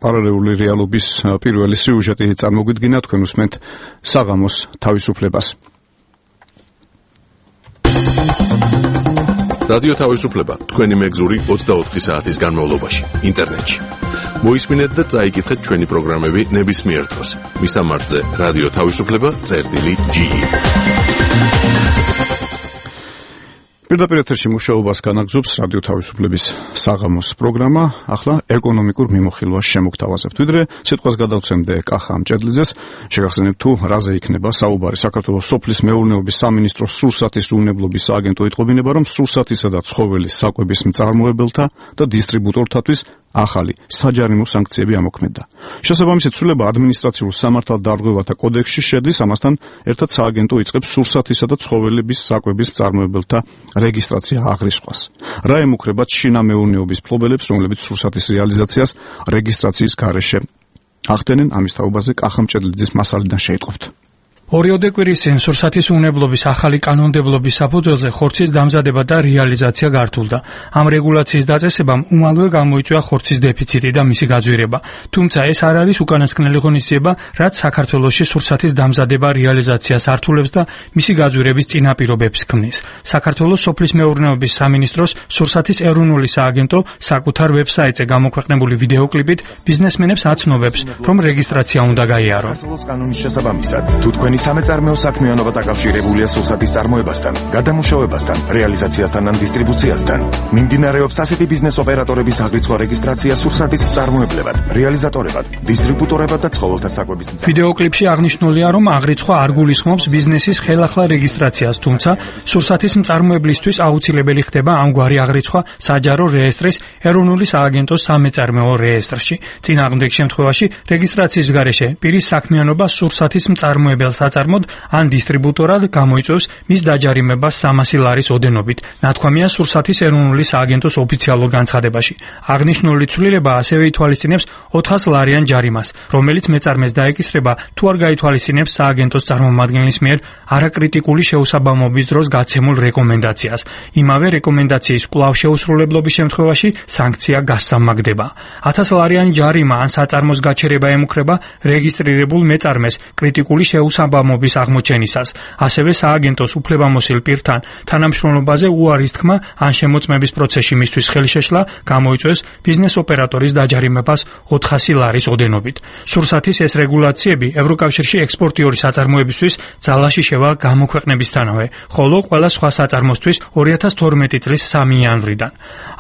პარალელური რეალობის პირველი სიუჟეტი წარმოგვიდგინა, თქვენ უსმენთ საღამოს თავისუფლებას. რადიო თავისუფლება, თქვენი მეგზური 24 საათის განმავლობაში, ინტერნეტში. მოისმინეთ და წაიკითხეთ ჩვენი პროგრამები ნებისმიერ დროს. მისამართზე რადიო თავისუფლება.ge. პირდაპირ ეთერში მუშაობას განაგრძობს რადიო თავისუფლების საღამოს პროგრამა. ახლა ეკონომიკურ მიმოხილვას შემოგთავაზებთ. ვიდრე სიტყვას გადავცემდე კახა მჭედლიძეს, შეგახსენებთ თუ რაზე იქნება საუბარი. საქართველოს სოფლის მეურნეობის სამინისტროს სურსათის უვნებლობის სააგენტო იტყობინება, რომ სურსათისა და ცხოველის საკვების მწარმოებელთა და დისტრიბუტორთათვის ახალი საჯარიმო სანქციები ამოქმედა. შესაბამისი ცვლილება ადმინისტრაციულ სამართალდარღვევათა კოდექსში შედის, ამასთან ერთად სააგენტო იწყებს სურსათისა და ცხოველების საკვების მწარმოებელთა რეგისტრაცია აღრისხვას. რა ემუქრებათ შინამეურნეობის ფლობელებს, რომლებიც სურსათის რეალიზაციას რეგისტრაციის გარეშე ახდენენ? ამის თაობაზე კახა მჭედლიძის მასალიდან შეიტყობთ. ორიოდე კვირის წინ სურსათის უნებლობის ახალი კანონმდებლობის საფუძველზე ხორცის დამზადება და რეალიზაცია გართულდა. ამ რეგულაციის დაწესებამ უმალვე გამოიწვია ხორცის დეფიციტი და მისი გაძვირება. თუმცა ეს არ არის უკანასკნელი ღონისძიება, რაც საქართველოში სურსათის დამზადება რეალიზაციას ართულებს და მისი გაძვირების წინაპირობებს ქმნის. საქართველოს სოფლის მეურნეობის სამინისტროს სურსათის ეროვნული სააგენტო საკუთარ ვებსაიტზე გამოქვეყნებული ვიდეოკლიპით ბიზნესმენებს აცნობებს, რომ რეგისტრაცია უნდა გაიარონ. კანონის შესაბამისად, თუ თქვენი სამეწარმეო საქმიანობა დაკავშირებულია სურსათის წარმოებასთან, გადამუშავებასთან, რეალიზაციასთან ან დისტრიბუციასთან, მიმდინარეობს ასეთი ბიზნეს ოპერატორების აღრიცხვა რეგისტრაცია სურსათის მწარმოებლებად, რეალიზატორებად, დისტრიბუტორებად და ცხოველთა საკვების მწარმოებელად. ვიდეოკლიპში აღნიშნულია, რომ აღრიცხვა არ გულისხმობს ბიზნესის ხელახლა რეგისტრაციას, თუმცა სურსათის მწარმოებლისთვის აუცილებელი ხდება ამგვარი აღრიცხვა საჯარო რეესტრის ეროვნული სააგენტოს სამეწარმეო რეესტრში. წინააღმდეგ შემთხვევაში რეგისტრაციის გარეშე პირის საქმიანობა სურსათის მწარმოებელს საწარმოდ ან დისტრიბუტორად გამოიწვევს მის დაჯარიმებას 300 ლარის ოდენობით. ნათქვამია სურსათის ეროვნული სააგენტოს ოფიციალურ განცხადებაში. აღნიშნული ცვლილება ასევე ითვალისწინებს 400 ლარიან ჯარიმას, რომელიც მეწარმეს დაეკისრება თუ არ გაითვალისწინებს სააგენტოს წარმომადგენლის მიერ არაკრიტიკული შეუსაბამობის დროს გაცემულ რეკომენდაციას. იმავე რეკომენდაციის კვლავ შეუსრულებლობის შემთხვევაში სანქცია გასამაგდება. 1000 ლარიანი ჯარიმა ან საწარმოს გაჩერება ემუქრება რეგისტრირებულ მეწარმეს კრიტიკული შეუსაბამობის აღმოჩენისას. ასევე სააგენტოს უფლებამოსილ პირთან თანამშრომლობაზე უარის თქმა ან შემოწმების პროცესში მისთვის ხელშეშლა გამოიწვევს ბიზნეს ოპერატორის დაჯარიმებას 400 ლარის ოდენობით. სურსათის ეს რეგულაციები ევროკავშირში ექსპორტიორი საწარმოებისთვის ძალაში შევა გამოქვეყნებისთანავე, ხოლო ყველა სხვა საწარმოსთვის 2012 წლის 3 იანვრიდან.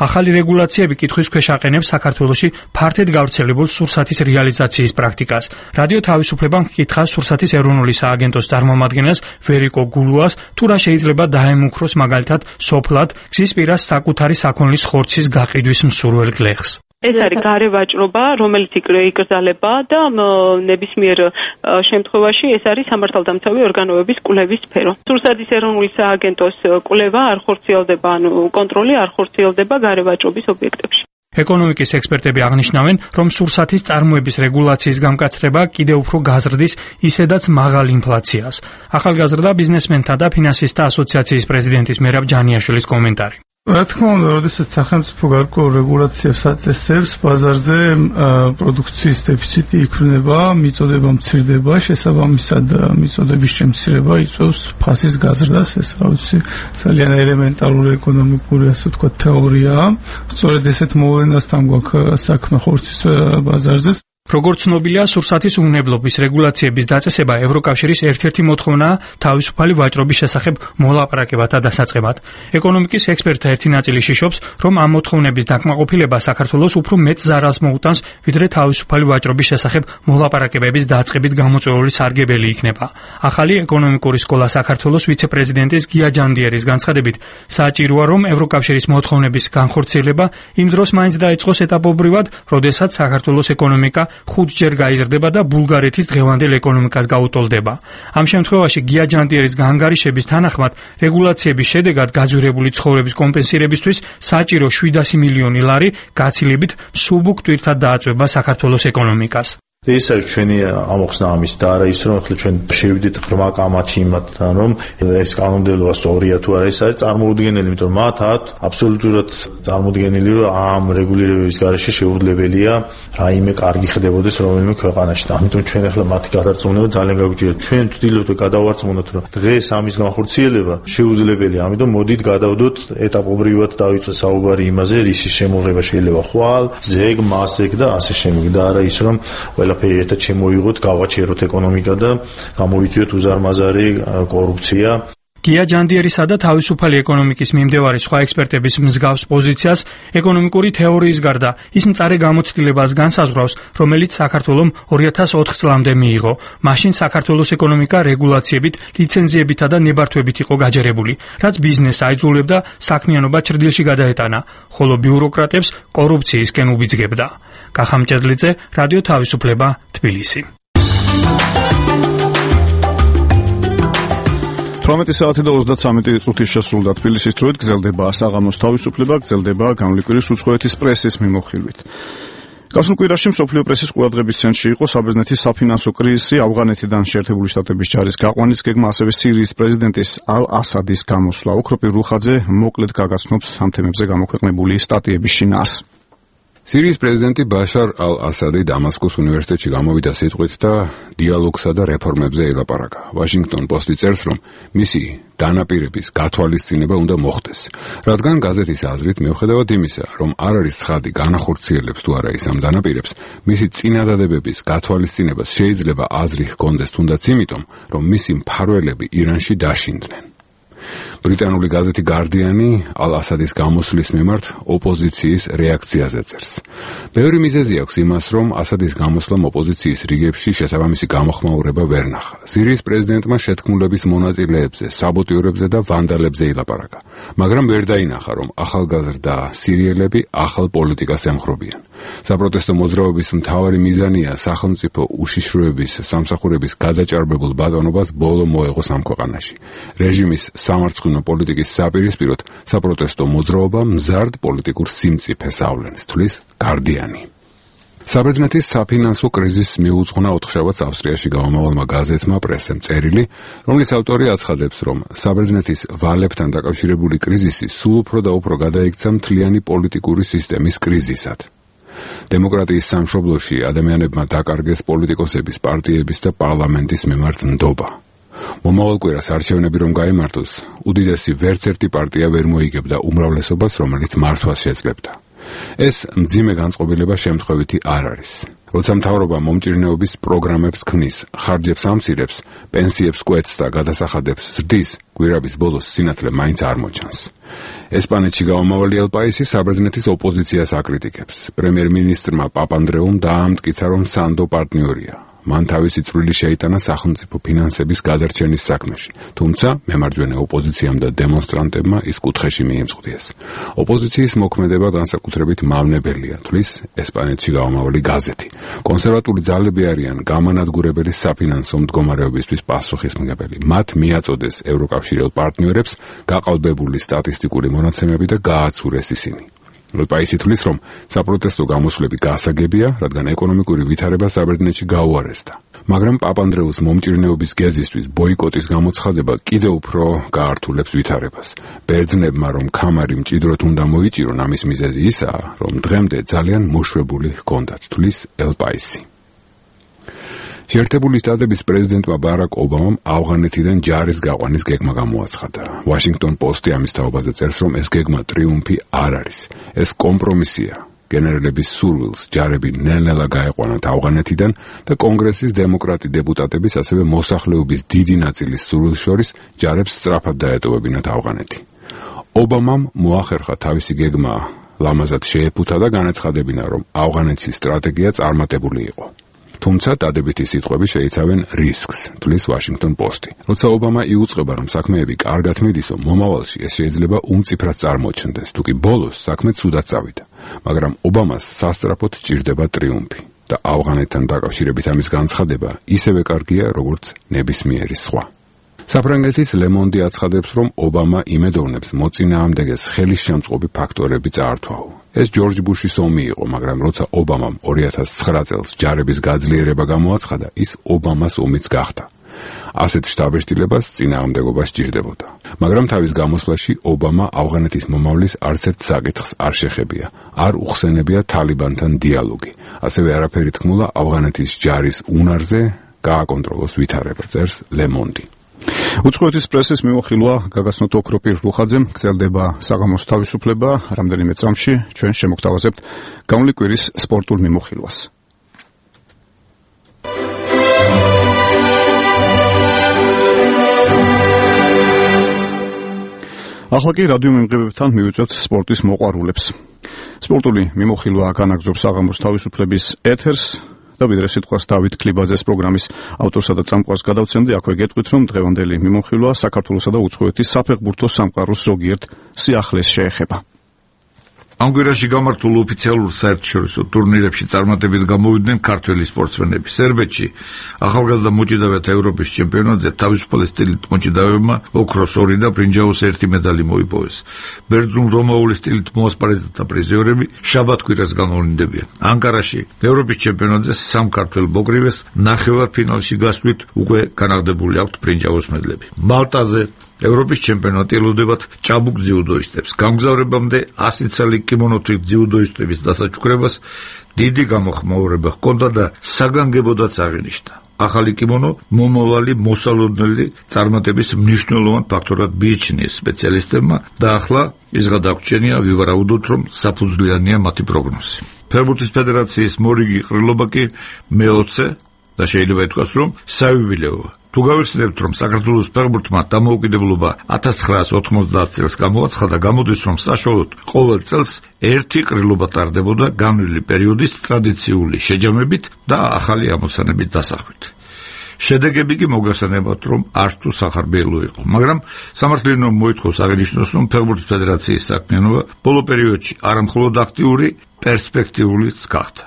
ახალი რეგულაციები კითხვის ქვეშ აყენებს საქართველოში ფართედ გავრცელებულ სურსათის რეალიზაციის პრაქტიკას. რადიო თავისუფლებამ ჰკითხა სურსათის ეროვნული სააგენტოს წარმომადგენელს ვერიკო გულუას, თუ რა შეიძლება დაემუქროს მაგალითად სოფლად გზის პირას საკუთარი საქონლის ხორცის გაყიდვის მსურველ გლეხს. ეს არის გარე ვაჭრობა, რომელიც იკრძალება და ნებისმიერ შემთხვევაში ეს არის სამართალდამცავი ორგანოების კვლევის სფერო. სურსათის ეროვნული სააგენტოს კვლევა არ ხორციელდება, კონტროლი არ ხორციელდება გარე ვაჭრობის ობიექტებში. ეკონომიკის ექსპერტები აღნიშნავენ, რომ სურსათის წარმოების რეგულაციის გამკაცრება კიდევ უფრო გაზრდის ისედაც მაღალ ინფლაციას. ახალგაზრდა ბიზნესმენთა და ფინანსისტთა ასოციაციის პრეზიდენტის მერაბ ჯანიაშვილის კომენტარი. რა თქმა უნდა, როდესაც სახელმწიფო გარკვეულ რეგულაციებს აწესებს, ბაზარზე პროდუქციის დეფიციტი იქნება, მიწოდება მცირდება, შესაბამისად მიწოდების შემცირება იწვევს ფასის გაზრდას. ეს რა ვიცი, ძალიან ელემენტარული ეკონომიკური, ასე ვთქვათ, თეორიაა. სწორედ ესეთ მოვლენასთან გვაქვს საქმე ხორცის ბაზარზე. როგორც ცნობილია, სურსათის უნებლობის რეგულაციების დაწესება ევროკავშირის ერთ-ერთი მოთხოვნაა თავისუფალი ვაჭრობის შესახებ მოლაპარაკებათა დასაწყებად. ეკონომიკის ექსპერტთა ერთი ნაწილი შიშობს, რომ ამ მოთხოვნების დაკმაყოფილება საქართველოს უფრო მეტ ზარალს მოუტანს, ვიდრე თავისუფალი ვაჭრობის შესახებ მოლაპარაკებების დაწყებით გამოწვეული სარგებელი იქნება. ახალი ეკონომიკური სკოლა საქართველოს ვიცე-პრეზიდენტის გია ჯანდიერის განცხადებით, საჭიროა, რომ ევროკავშირის მოთხოვნების განხორციელება იმ დროს მაინც დაიწყოს ეტაპობრივად, როდესაც საქართველოს ეკონომიკა 5-ჯერ გაიზრდება და ბულგარეთის დღევანდელ ეკონომიკას გაუტოლდება. ამ შემთხვევაში გია ჯანდიერის განგარიშების თანახმად რეგულაციების შედეგად გაძვირებული ცხოვრების კომპენსირებისთვის საჭირო 700 მილიონი ლარი გაცილებით მსუბუქ ტვირთად დააწვება საქართველოს ეკონომიკას. ეს არის ჩვენი ამოხსნა ამის და არა ის რომ ახლა ჩვენ შევიდით ღრმა კამათში იმათთან რომ ეს კანონმდებლობა სწორია თუ არა, ეს არის წარმოუდგენელი, იმიტომ რომ მათ აბსოლუტურად წარმოუდგენელი რომ ამ რეგულირების გარეშე შეუძლებელია რაიმე კარგი ხდებოდეს რომელიმე ქვეყანაში. ამიტომ ჩვენ ახლა მათი გადარწმუნება ძალიან გაგვიჭირდა. ჩვენ ვცდილობთ გადავარწმუნოთ რომ დღეს ამის განხორციელება შეუძლებელია. ამიტომ მოდით გადავდოთ ეტაპობრივად დავიწყოთ საუბარი იმაზე, რისი შემოღება შეიძლება ხვალ, ზეგ, მასეგ და ასე შემდეგ და არა ის რომ ყველაფერი ერთად შემოიღოთ, გავაჩეროთ ეკონომიკა და გამოვიწვიოთ უზარმაზარი კორუფცია. გია ჯანდიერისა და თავისუფალი ეკონომიკის მიმდევარი სხვა ექსპერტების მსგავს პოზიციას ეკონომიკური თეორიის გარდა ის მწარე გამოცდილებას განსაზღვრავს, რომელიც საქართველომ 2004 წლამდე მიიღო. მაშინ საქართველოს ეკონომიკა რეგულაციებით, ლიცენზიებითა და ნებართვებით იყო გაჯერებული, რაც ბიზნესს აიძულებდა საქმიანობა ჭრდილში გადაეტანა, ხოლო ბიუროკრატებს კორუფციისკენ უბიძგებდა. კახა მჭედლიძე, რადიო თავისუფლება, თბილისი. 18 საათი და 33 წუთი შესრულდა თბილისის დროით. გრძელდება საღამოს თავისუფლება, გრძელდება განვლიკვირის უცხოეთის პრესის მიმოხილვით. გასულ კვირაში მსოფლიო პრესის ყურადღების ცენტრში იყო საბერძნეთის საფინანსო კრიზისი, ავღანეთიდან შეერთებული შტატების ჯარის გაყვანის გეგმა, ასევე სირიის პრეზიდენტის ალ-ასადის გამოსვლა. ოქროპი რუხაძე მოკლედ გაგაცნობთ ამ თემებზე გამოქვეყნებული სტატიების შინაარს. სირიის პრეზიდენტი ბაშარ ალ-ასადი დამასკოს უნივერსიტეტში გამოვიდა სიტყვით და დიალოგსა და რეფორმებზე ელაპარაკა. ვაშინგტონ პოსტი წერს, რომ მისი დანაპირების გათვალისწინება უნდა მოხდეს, რადგან გაზეთის აზრით, მიუხედავად იმისა, რომ არ არის ცხადი განახორციელებს თუ არა ის ამ დანაპირებს, მისი წინადადებების გათვალისწინებას შეიძლება აზრი ჰქონდეს თუნდაც იმიტომ, რომ მისი მფარველები ირანში დაშინდნენ. ბრიტანული გაზეთი გარდიანი ალ-ასადის გამოსვლის მიმართ ოპოზიციის რეაქციაზე წერს. ბევრი მიზეზი აქვს იმას, რომ ასადის გამოსვლამ ოპოზიციის რიგებში შესაბამისი გამოხმაურება ვერ ნახა. სირიის პრეზიდენტმა შეთქმულების მონაწილეებზე, საბოტიურებზე და ვანდალებზე ილაპარაკა, მაგრამ ვერ დაინახა, რომ ახალგაზრდა სირიელები ახალ პოლიტიკას ემხრობიან. საპროტესტო მოძრაობის მთავარი მიზანია სახელმწიფო უშიშროების სამსახურების გადაჭარბებულ ბატონობას ბოლო მოეღოს ამ ქვეყანაში. რეჟიმის სამარცხვინო პოლიტიკის საპირისპიროდ საპროტესტო მოძრაობა მზარდ პოლიტიკურ სიმწიფეს ავლენს, თვლის გარდიანი. საბერძნეთის საფინანსო კრიზისს მიუძღვნა 4 შაბათს ავსტრიაში გამომავალმა გაზეთმა პრესემ წერილი, რომლის ავტორი აცხადებს, რომ საბერძნეთის ვალებთან დაკავშირებული კრიზისი სულ უფრო და უფრო გადაიქცა მთლიანი პოლიტიკური სისტემის კრიზისად. დემოკრატიის სამშობლოში ადამიანებმა დაკარგეს პოლიტიკოსების, პარტიების და პარლამენტის მიმართ ნდობა. მომავალ კვირას არჩევნები რომ გაიმართოს, უდიდესი ვერც ერთი პარტია ვერ მოიგებდა უმრავლესობას, რომელიც მართვას შეძლებდა. ეს მძიმე განწყობილება შემთხვევითი არ არის. როცა მთავრობა მომჭირნეობის პროგრამებს ქმნის, ხარჯებს ამცირებს, პენსიებს კვეთს და გადასახადებს ზრდის, კვირების ბოლოს სინათლე მაინც არ მოჩანს. ესპანეთში გამომავალი ელპაისი საბერძნეთის ოპოზიციას აკრიტიკებს. პრემიერ-მინისტრმა პაპანდრეუმ დაამტკიცა, რომ სანდო პარტნიორია. მან თავისი წვლილი შეიტანა სახელმწიფო ფინანსების გადარჩენის საქმეში, თუმცა მემარჯვენე ოპოზიციამ და დემონსტრანტებმა ის კუთხეში მიემწყვდიეს. ოპოზიციის მოქმედება განსაკუთრებით მავნებელია, თვლის ესპანეთში გამომავალი გაზეთი. კონსერვატული ძალები არიან გამანადგურებელი საფინანსო მდგომარეობისთვის პასუხისმგებელი. მათ მიაწოდეს ევროკავშირელ პარტნიორებს გაყალბებული სტატისტიკური მონაცემები და გააცურეს ისინი. ელპაისი თვლის, რომ საპროტესტო გამოსვლები გასაგებია, რადგან ეკონომიკური ვითარება საბერძნეთში გაუარესდა. მაგრამ პაპანდრეუს მომჭირნეობის გეზისთვის ბოიკოტის გამოცხადება კიდევ უფრო გაართულებს ვითარებას. ბერძნებმა რომ ქამარი მჭიდროდ უნდა მოიჭირონ, ამის მიზეზი ისაა, რომ დღემდე ძალიან მოშვებული ჰქონდათ, თვლის ელპაისი. შეერთებული შტატების პრეზიდენტმა ბარაკ ობამამ ავღანეთიდან ჯარის გაყვანის გეგმა გამოაცხადა. ვაშინგტონ პოსტი ამის თაობაზე წერს, რომ ეს გეგმა ტრიუმფი არ არის. ეს კომპრომისია. გენერლების სურვილს ჯარები ნელ-ნელა გაეყვანათ ავღანეთიდან და კონგრესის დემოკრატი დეპუტატების, ასევე მოსახლეობის დიდი ნაწილის სურვილს შორის ჯარებს სწრაფად დაეტოვებინათ ავღანეთი. ობამამ მოახერხა თავისი გეგმა ლამაზად შეეფუთა და განაცხადებინა, რომ ავღანეთის სტრატეგია წარმატებული იყო. თუმცა დადებითი სიტყვები შეიცავენ რისკს, თვლის ვაშინგტონ პოსტი. როცა ობამა იუწყება, რომ საქმეები კარგად მიდისო, მომავალში ეს შეიძლება უმწიფრად წარმოჩნდეს, თუ კი ბოლოს საქმე ცუდად წავიდა. მაგრამ ობამას სასწრაფოდ ჭირდება ტრიუმფი და ავღანეთთან დაკავშირებით ამის განცხადება ისევე კარგია, როგორც ნებისმიერი სხვა. საფრანგეთის ლემონდი აცხადებს, რომ ობამა იმედოვნებს მოწინააღმდეგეს ხელისშემწყობი ფაქტორები წაართვაო. ეს ჯორჯ ბუშის ომი იყო, მაგრამ როცა ობამამ 2009 წელს ჯარების გაძლიერება გამოაცხადა, ის ობამას ომიც გახდა. ასეთ შთაბეჭდილებას წინააღმდეგობა სჭირდებოდა. მაგრამ თავის გამოსვლაში ობამა ავღანეთის მომავლის არცერთ საკითხს არ შეხებია, არ უხსენებია თალიბანთან დიალოგი. ასევე არაფერი თქმულა ავღანეთის ჯარის უნარზე გააკონტროლოს ვითარება, წერს ლემონდი. უცხოეთის პრესის მიმოხილვა გაგაცნოთ ოქროპირ რუხაძემ გრძელდება საღამოს თავისუფლება. რამდენიმე წამში ჩვენ შემოგთავაზებთ გამოვლი კვირის სპორტულ მიმოხილვას. ახლა კი რადიო მიმღებებთან მივიწვევთ სპორტის მოყვარულებს. სპორტული მიმოხილვა განაგრძობს საღამოს თავისუფლების ეთერს. და ვიდრე სიტყვას დავით კლიბაძეს პროგრამის ავტორსა და წამყვანს გადავცემდი, აქვე გეტყვით, რომ დღევანდელი მიმოხილვა საქართველოსა და უცხოეთის საფეხბურთო სამყაროს ზოგიერთ სიახლეს შეეხება. ამ კვირაში გამართულ ოფიციალურ საერთაშორისო ტურნირებში წარმატებით გამოვიდნენ ქართველი სპორტსმენები. სერბეთში ახალგაზრდა მოჭიდავეთა ევროპის ჩემპიონატზე თავისუფალი სტილით მოჭიდავეებმა ოქროს 2 და ბრინჯაოს 1 медаლი მოიპოვეს. ბერძნულ-რომაული სტილით მოასპარეზეთა პრიზიორები შაბათ-კვირას განმავლინდებიან. ანკარაში ევროპის ჩემპიონატზე სამ ქართველ ბოგრივეს ნახევარფინალში გასვლით უკვე განაღდებული აქვთ ბრინჯაოს მედლები. მალტაზე ევროპის ჩემპიონატი ელოდებათ ჭაბუკ ძიუდოისტებს. გამგზავრებამდე 100 წელი კიმონოთი ძიუდოისტების დასაჩუქრებას დიდი გამოხმაურება ჰქონდა და საგანგებოდაც აღინიშნა. ახალი კიმონო მომავალი მოსალოდნელი წარმატების მნიშვნელოვან ფაქტორად მიიჩნიეს სპეციალისტებმა და ახლა ის გადაგვჩენია ვივარაუდოთ, რომ საფუძვლიანია მათი პროგნოზი. ფეხბურთის ფედერაციის მორიგი ყრილობა კი მე-20 და შეიძლება ითქვას, რომ საიუბილეოა. თუ გავიხსენებთ, რომ საქართველოს ფეხბურთმა დამოუკიდებლობა 1990 წელს გამოაცხადა, გამოდის, რომ საშუალოდ ყოველ წელს ერთი ყრილობა ტარდებოდა განვლილი პერიოდის ტრადიციული შეჯამებით და ახალი ამოცანებით დასახვით. შედეგები კი მოგესალმებათ, რომ არც თუ სახარბიელო იყო, მაგრამ სამართლიანო მოითხოვს აღინიშნოს, რომ ფეხბურთის ფედერაციის საქმიანობა ბოლო პერიოდში არამხოლოდ აქტიური, პერსპექტიულიც გახდა.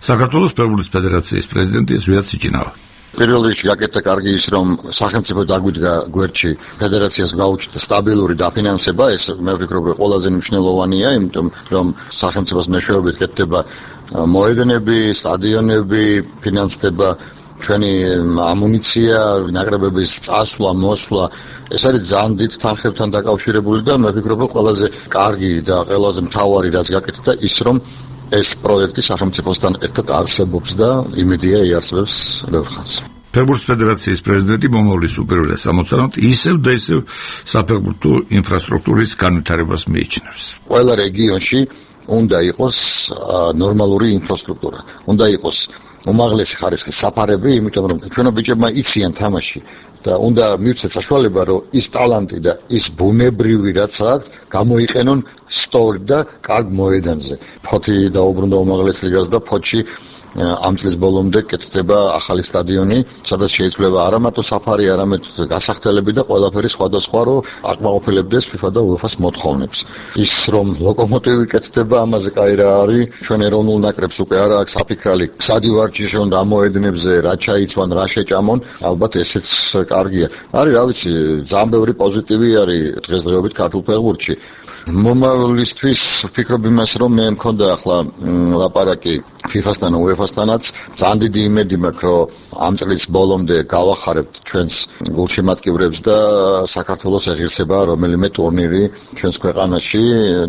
საქართველოს ფეხბურთის ფედერაციის პრეზიდენტი ზვიად სიჩინავა. პირველ რიგში გაკეთდა კარგი ის, რომ სახელმწიფო დაგვიდგა გვერდში ფედერაციას გაუჩნდა სტაბილური დაფინანსება, ეს მე ვფიქრობ, რომ ყველაზე მნიშვნელოვანია, იმიტომ რომ სახელმწიფოს მეშვეობით კეთდება მოედნები, სტადიონები, ფინანსდება ჩვენი ამუნიცია, ნაკრებების წასვლა, მოსვლა, ეს არის ძალიან დიდ თანხებთან დაკავშირებული და მე ვფიქრობ, რომ ყველაზე კარგი და ყველაზე მთავარი რაც გაკეთდა ის, რომ ეს პროექტი სახელმწიფოსთან ერთად არსებობს და იმედია იარსებებს ბევრ ხანს. ფეხბურთის ფედერაციის პრეზიდენტი მომავლის უპირველეს ამოცანად ისევ და ისევ საფეხბურთო ინფრასტრუქტურის განვითარებას მიიჩნევს. ყველა რეგიონში უნდა იყოს ნორმალური ინფრასტრუქტურა, უნდა იყოს უმაღლესი ხარისხის საფარები, იმიტომ რომ ჩვენო ბიჭებმა იციან თამაში და უნდა მივცეთ საშუალება, რომ ის ტალანტი და ის ბუნებრივი რაც აქვს, გამოიყენონ სწორ და კარგ მოედანზე. ფოთი დაუბრუნდა უმაღლეს ლიგას და ფოთში ამ წლის ბოლომდე კეთდება ახალი სტადიონი, სადაც შეიძლება არა მარტო საფარი, არამედ გასახდელები და ყველაფერი სხვადასხვა, რომ აკმაყოფილებდეს FIFA და UEFA-ს მოთხოვნებს. ის რომ ლოკომოტივი კეთდება, ამაზე კაი რა არის, ჩვენ ეროვნულ ნაკრებს უკვე არა აქვს საფიქრალი, სად ივარჯიშონ რა მოედნებზე, რა ჩაიცვან, რა შეჭამონ, ალბათ ესეც კარგია. არის რა ვიცი, ძალიან ბევრი პოზიტივი არის დღესდღეობით ქართულ ფეხბურთში. მომავლისთვის ვფიქრობ იმას, რომ მე მქონდა ახლა ლაპარაკი FIFA-სთან, UEFA-სთანაც, ძალიან დიდი იმედი მაქვს, რომ ამ წლის ბოლომდე გავახარებთ ჩვენს გულშემატკივრებს და საქართველოს ეღირსება რომელიმე ტურნირი ჩვენს ქვეყანაში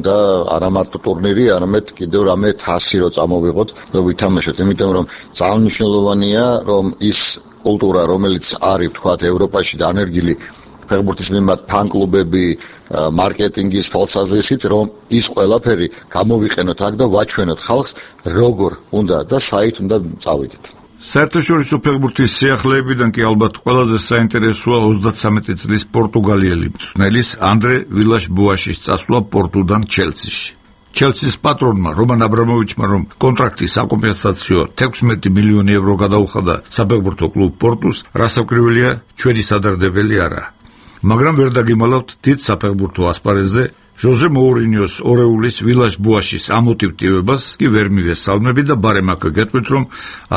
და არა მარტო ტურნირი, არამედ კიდევ რამე თასი რო წამოვიღოთ, რომ ვითამაშოთ, იმიტომ რომ ძალიან მნიშვნელოვანია, რომ ის კულტურა, რომელიც არის, თქვათ, ევროპაში დანერგილი ფეხბურთის მიმართ ფან-კლუბები, მარკეტინგის თვალსაზრისით, რომ ის ყველაფერი გამოვიყენოთ აქ და ვაჩვენოთ ხალხს, როგორ უნდა და საით უნდა წავიდეთ. საერთაშორისო ფეხბურთის სიახლეებიდან კი ალბათ ყველაზე საინტერესოა 33 წლის პორტუგალიელი მწვრთნელის ანდრე ვილაშ-ბოაშის წასვლა პორტუდან ჩელსიში. ჩელსის პატრონმა რომან აბრამოვიჩმა რომ კონტრაქტის საკომპენსაციო 16 მილიონი ევრო გადაუხადა საფეხბურთო კლუბ პორტუს, რასაკვირველია, ჩვენი სადარდებელი არა. მაგრამ ვერ დაგიმალავთ დიდ საფეხბურთო ასპარეზზე ჟოზე მოურინიოს ორეულის ვილაშ-ბოაშის ამოტივტივებას კი ვერ მივესალმები და ბარემ აქ გეტყვით, რომ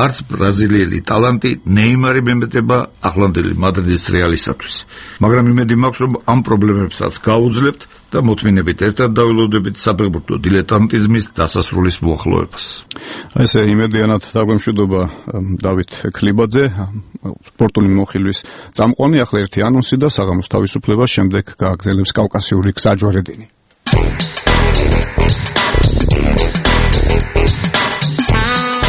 არც ბრაზილიელი ტალანტი ნეიმარი მემეტება ახლანდელი მადრიდის რეალისათვის. მაგრამ იმედი მაქვს, რომ ამ პრობლემებსაც გაუძლებთ და მოთმინებით ერთად დავილოდებით საფეხბურთო დილეტანტიზმის დასასრულის მოახლოებას. ესე იმედიანად დაგვემშვიდობა დავით ქლიბაძე, სპორტული მოხილვის წამყვანი. ახლა ერთი ანონსი და საღამოს თავისუფლებას შემდეგ გააგრძელებს კავკასიური გზაჯვარედინი.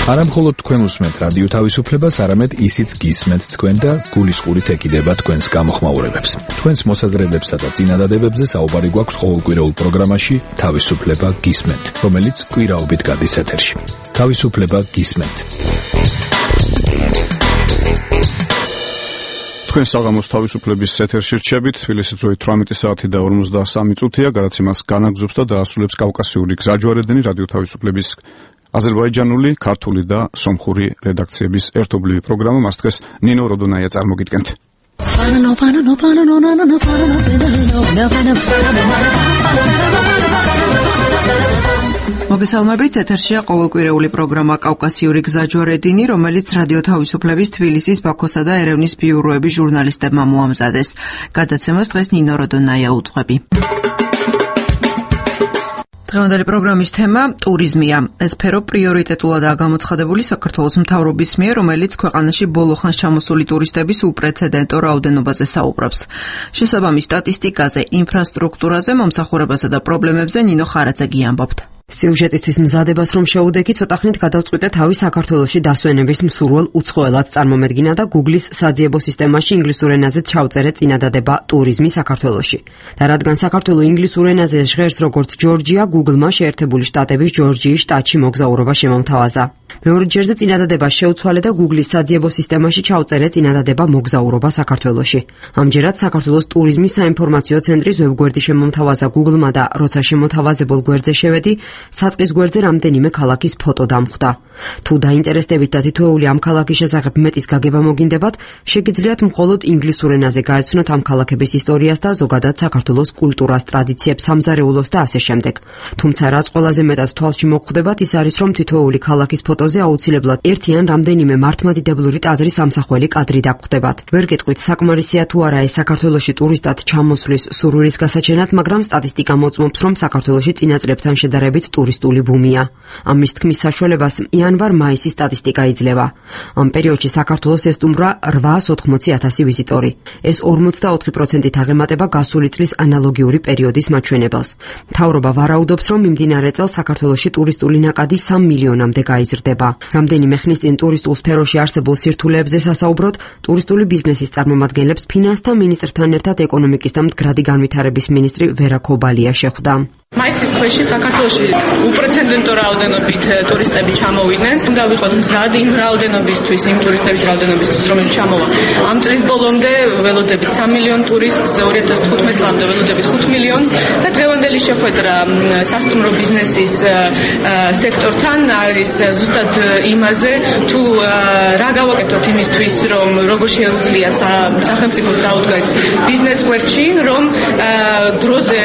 არა მხოლოდ თქვენ უსმენთ რადიო თავისუფლებას, არამედ ისიც გისმენთ თქვენ და გულისყურით ეკიდება თქვენს გამოხმაურებებს. თქვენს მოსაზრებებსა და წინადადებებზე საუბარი გვაქვს ყოველკვირეულ პროგრამაში თავისუფლება გისმენთ, რომელიც კვირაობით გადის ეთერში. თავისუფლება გისმენთ. თქვენ საღამოს თავისუფლების ეთერში რჩებით. თბილისის დროით 18 საათი და 53 წუთია. გადაცემას განაგრძობს და დაასრულებს კავკასიური გზაჯვარედინი რადიო თავისუფლების აზერბაიჯანული, ქართული და სომხური რედაქციების ერთობლივი პროგრამა. მას დღეს ნინო როდონაია წარმოგიდგენთ. მოგესალმებით, ეთერშია ყოველკვირეული პროგრამა კავკასიური გზაჯვარედინი, რომელიც რადიო თავისუფლების თბილისის, ბაქოსა და ერევნის ბიუროების ჟურნალისტებმა მოამზადეს. გადაცემას დღეს ნინო როდონაია უძღვები. დღევანდელი პროგრამის თემა ტურიზმია. ეს სფერო პრიორიტეტულადაა გამოცხადებული საქართველოს მთავრობის მიერ, რომელიც ქვეყანაში ბოლო ხანს ჩამოსული ტურისტების უპრეცედენტო რაოდენობაზე საუბრობს. შესაბამის სტატისტიკაზე, ინფრასტრუქტურაზე, მომსახურებასა და პრობლემებზე ნინო ხარაძეგი ამბობთ. სიუჟეტისთვის მზადებას რომ შეუდექი, ცოტა ხნით გადავწყვიტე თავი საქართველოში დასვენების მსურველ უცხოელად წარმომედგინა და Google-ის საძიებო სისტემაში ინგლისურ ენაზე ჩავწერე წინადადება ტურიზმი საქართველოში. და რადგან საქართველო ინგლისურ ენაზე ჟღერს როგორც ჯორჯია, Google-მა შეერთებული შტატების ჯორჯიის შტატში მოგზაურობა შემომთავაზა. მეორე ჯერზე წინადადება შეუცვალე და Google-ის საძიებო სისტემაში ჩავწერე წინადადება მოგზაურობა საქართველოში. ამჯერად საქართველოს ტურიზმის საინფორმაციო ცენტრის ვებგვერდი შემომთავაზა Google-მა და როცა შემოთავაზებულ გვერდზე შევედი, საწყის გვერდზე რამდენიმე ქალაქის ფოტო დამხვდა. თუ დაინტერესდებით და თითოეული ამ ქალაქის შესახებ მეტის გაგება მოგინდებათ, შეგიძლიათ მხოლოდ ინგლისურ ენაზე გაეცნოთ ამ ქალაქების ისტორიას და ზოგადად საქართველოს კულტურას, ტრადიციებს, სამზარეულოს და ასე შემდეგ. თუმცა რაც ყველაზე მეტად თვალში მოგხვდებათ, ის არის, რომ თითოეული ქალაქის ფოტოზე აუცილებლად ერთი ან რამდენიმე მართლმადიდებლური ტაძრის ამსახველი კადრი დაგხვდებათ. ვერ გეტყვით, საკმარისია თუ არა ეს საქართველოში ტურისტად ჩამოსვლის სურვილის გასაჩენად, მაგრამ სტატისტიკა მოწმობს, რომ საქართველოში წინა წლებთან შედარებით ტურისტული ბუმია. ამის თქმის საშუალებას იანვარ-მაისის სტატისტიკა იძლევა. ამ პერიოდში საქართველოს ესტუმრა 880,000 ვიზიტორი. ეს 44%-ით აღემატება გასული წლის ანალოგიური პერიოდის მაჩვენებელს. მთავრობა ვარაუდობს, რომ მიმდინარე წელს საქართველოში ტურისტული ნაკადი 3 მილიონამდე გაიზრდება. რამდენიმე ხნის წინ ტურისტულ სფეროში არსებულ სირთულეებზე სასაუბროდ, ტურისტული ბიზნესის წარმომადგენლებს ფინანსთა მინისტრთან ერთად ეკონომიკის და მდგრადი განვითარების მინისტრი ვერა ქობალია შეხვდა. მაისის ქვეშ საქართველოში უპრეცედენტო რაოდენობით ტურისტები ჩამოვიდნენ. უნდა ვიყოთ მზად იმ რაოდენობისთვის, იმ ტურისტების რაოდენობისთვის, რომელიც ჩამოვა. ამ წლის ბოლომდე ველოდებით 3 მილიონ ტურისტს, 2015 წლამდე ველოდებით 5 მილიონს და დღევანდელი შეხვედრა სასტუმრო ბიზნესის სექტორთან არის ზუსტად იმაზე, თუ რა გავაკეთოთ იმისთვის, რომ როგორ შეუძლია სახელმწიფოს დაუდგას ბიზნეს გვერდში, რომ დროზე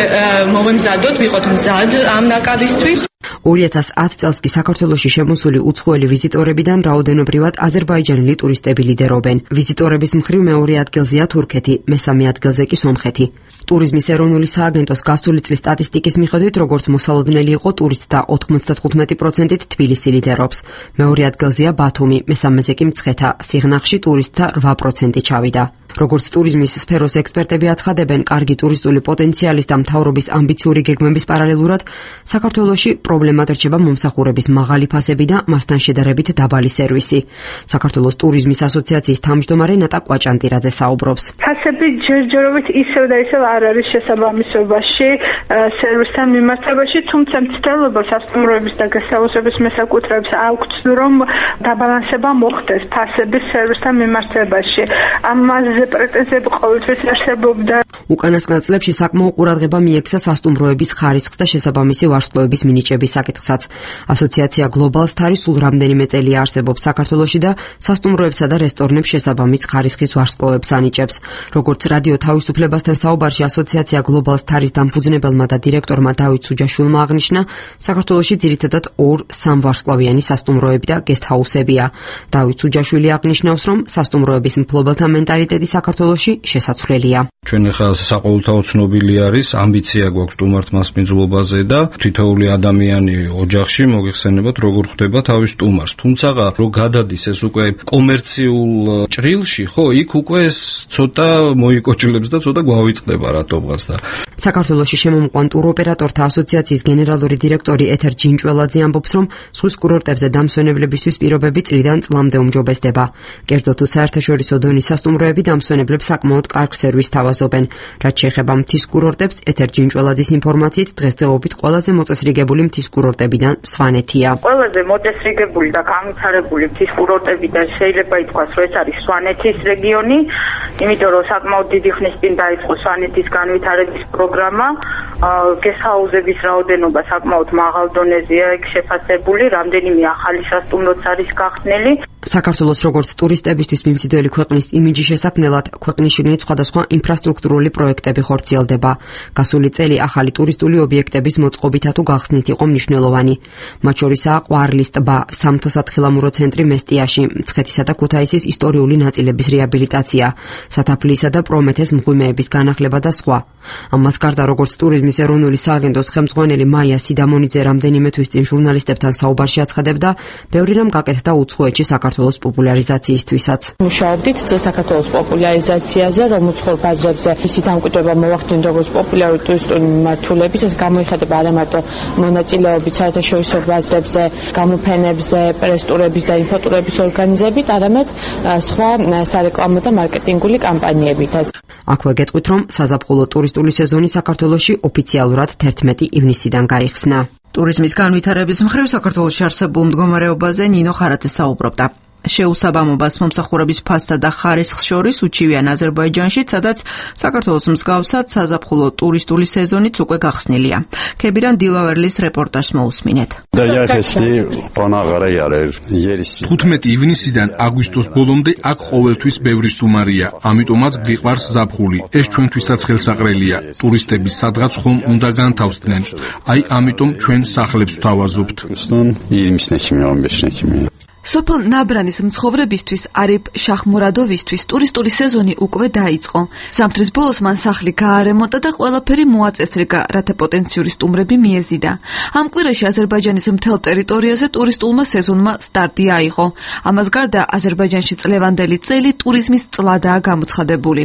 მოვემზადოთ, ვიყოთ მზად ამ ნაკადისთვის. 2010 წელს კი საქართველოში შემოსული უცხოელი ვიზიტორებიდან რაოდენობრივად აზერბაიჯანელი ტურისტები ლიდერობენ. ვიზიტორების მხრივ მეორე ადგილზეა თურქეთი, მესამე ადგილზე კი სომხეთი. ტურიზმის ეროვნული სააგენტოს გასული წლის სტატისტიკის მიხედვით, როგორც მოსალოდნელი იყო ტურისტთა 95%-ით თბილისი ლიდერობს. მეორე ადგილზეა ბათუმი, მესამეზე კი მცხეთა, სიღნაღში ტურისტთა 8% ჩავიდა. როგორც ტურიზმის სფეროს ექსპერტები აცხადებენ, კარგი ტურისტული პოტენციალის და მთავრობის ამბიციური გეგმების პარალელურად, საქართველოში პრობლემად რჩება მომსახურების მაღალი ფასები და მასთან შედარებით დაბალი სერვისი. საქართველოს ტურიზმის ასოციაციის თავმჯდომარე ნატა კვაჭანტირაძე საუბრობს. ფასები ჯერჯერობით ისევ და ისევ არ არის შესაბამისობაში სერვისთან მიმართებაში, თუმცა მცდელობა სასტუმროების და გასაოცრების მესაკუთრეებს აქვთ, რომ დაბალანსება მოხდეს ფასების სერვისთან მიმართებაში. ამაზე პრეტენზიები ყოველთვის არსებობდა. უკანასკნელ წლებში საკმაო ყურადღება მიექცა სასტუმროების ხარისხს და შესაბამისი ვარსკვლავების მინიჭების საკითხსაც. ასოციაცია Global Star სულ რამდენიმე წელია არსებობს საქართველოში და სასტუმროებსა და რესტორნებს შესაბამის ხარისხის ვარსკვლავებს ანიჭებს. როგორც რადიო თავისუფლებასთან საუბარში ასოციაცია Global Star-ის დამფუძნებელმა და დირექტორმა დავით სუჯაშვილმა აღნიშნა, საქართველოში ძირითადად 2-3 ვარსკვლავიანი სასტუმროები და გესტჰაუსებია. დავით სუჯაშვილი აღნიშნავს, რომ სასტუმროების მფლობელთა მენტალიტეტი საქართველოში შესაცვლელია. ჩვენ ახლა საყოველთაო ცნობილი არის, ამბიცია გვაქვს სტუმართ მასპინძლობაზე და თითოეული ადამიანი ოჯახში მოგეხსენებათ როგორ ხვდება თავის სტუმარს. თუმცა რო გადადის ეს უკვე კომერციულ ჭრილში, ხო, იქ უკვე ეს ცოტა მოიკოჭლებს და ცოტა გვავიწყდება რატომღაც და საქართველოში შემომყვან ტუროპერატორთა ასოციაციის გენერალური დირექტორი ეთერ ჯინჭველაძე ამბობს, რომ ზღვის კურორტებზე დამსვენებლებისთვის პირობები წლიდან წლამდე უმჯობესდება. კერძო თუ საერთაშორისო დონის სასტუმროები დამსვენებლებს საკმაოდ კარგ სერვისს თავაზობენ. რაც შეეხება მთის კურორტებს, ეთერ ჯინჭველაძის ინფორმაციით, დღესდღეობით ყველაზე მოწესრიგებული მთის კურორტებიდან სვანეთია. ყველაზე მოწესრიგებული და განვითარებული მთის კურორტებიდან შეიძლება ითქვას, რომ ეს არის სვანეთის რეგიონი, იმიტომ რომ საკმაოდ დიდი ხნის წინ დაიწყო სვანეთის განვითარების პროგრამა. გესტჰაუსების რაოდენობა საკმაოდ მაღალ დონეზეა იქ შეფასებული, რამდენიმე ახალი სასტუმროც არის გახსნილი. საქართველოს როგორც ტურისტებისთვის მიმზიდველი ქვეყნის იმიჯის შესაქმნელად ქვეყნის შიგნით სხვადასხვა ინფრასტრუქტურული პროექტები ხორციელდება. გასული წელი ახალი ტურისტული ობიექტების მოწყობითა თუ გახსნით იყო მნიშვნელოვანი. მათ შორისაა ყვარლის ტბა, სამთო-სათხილამურო ცენტრი მესტიაში, მცხეთისა და ქუთაისის ისტორიული ნაწილების რეაბილიტაცია, სათაფლისა და პრომეთეს მღვიმეების განახლება და სხვა. ამას გარდა როგორც ტურიზმის ეროვნული სააგენტოს ხელმძღვანელი მაია სიდამონიძე რამდენიმე თვის წინ ჟურნალისტებთან საუბარში აცხადებდა, ბევრი რამ გაკეთდა უცხოეთში საქართველოს პოპულარიზაციისთვისაც. მუშაობდით საქართველოს პოპულარიზაციაზე, რომ უცხოურ ბაზრებზე ისი დამკვიდრება მოვახდინოთ როგორც პოპულარული ტურისტული მიმართულების, ეს გამოიხატება არა მარტო მონაწილეობით საერთაშორისო ბაზრებზე, გამოფენებზე, პრესტურების და ინფოტურების ორგანიზებით, არამედ სხვა სარეკლამო და მარკეტინგული კამპანიებითაც. აქვე გეტყვით, რომ საზაფხულო ტურისტული სეზონი საქართველოში ოფიციალურად 11 ივნისიდან გაიხსნა. ტურიზმის განვითარების მხრივ საქართველოში არსებულ მდგომარეობაზე ნინო ხარაძე საუბრობდა. შეუსაბამობას მომსახურების ფასსა და ხარისხს შორის უჩივიან აზერბაიჯანში, სადაც საქართველოს მსგავსად საზაფხულო ტურისტული სეზონიც უკვე გახსნილია. ქებირან დილავერლის რეპორტაჟს მოусმინეთ. 15 ივნისიდან აგვისტოს ბოლომდე აქ ყოველთვის ბევრი სტუმარია, ამიტომაც გიყვარს ზაფხული. ეს ჩვენთვისაც ხელსაყრელია. ტურისტები სადღაც ხომ უნდა განთავსდნენ. აი ამიტომ ჩვენ სახლებს ვთავაზობთ. სოფელ ნაბრანის მცხოვრებისთვის არიფ შახმურადოვისთვის ტურისტული სეზონი უკვე დაიწყო. ზამთრის ბოლოს მან სახლი გაარემონტა და ყველაფერი მოაწესრიგა, რათა პოტენციური სტუმრები მიეზიდა. ამ კვირაში აზერბაიჯანის მთელ ტერიტორიაზე ტურისტულმა სეზონმა სტარტი აიღო. ამას გარდა აზერბაიჯანში წლევანდელი წელი ტურიზმის წლადაა გამოცხადებული.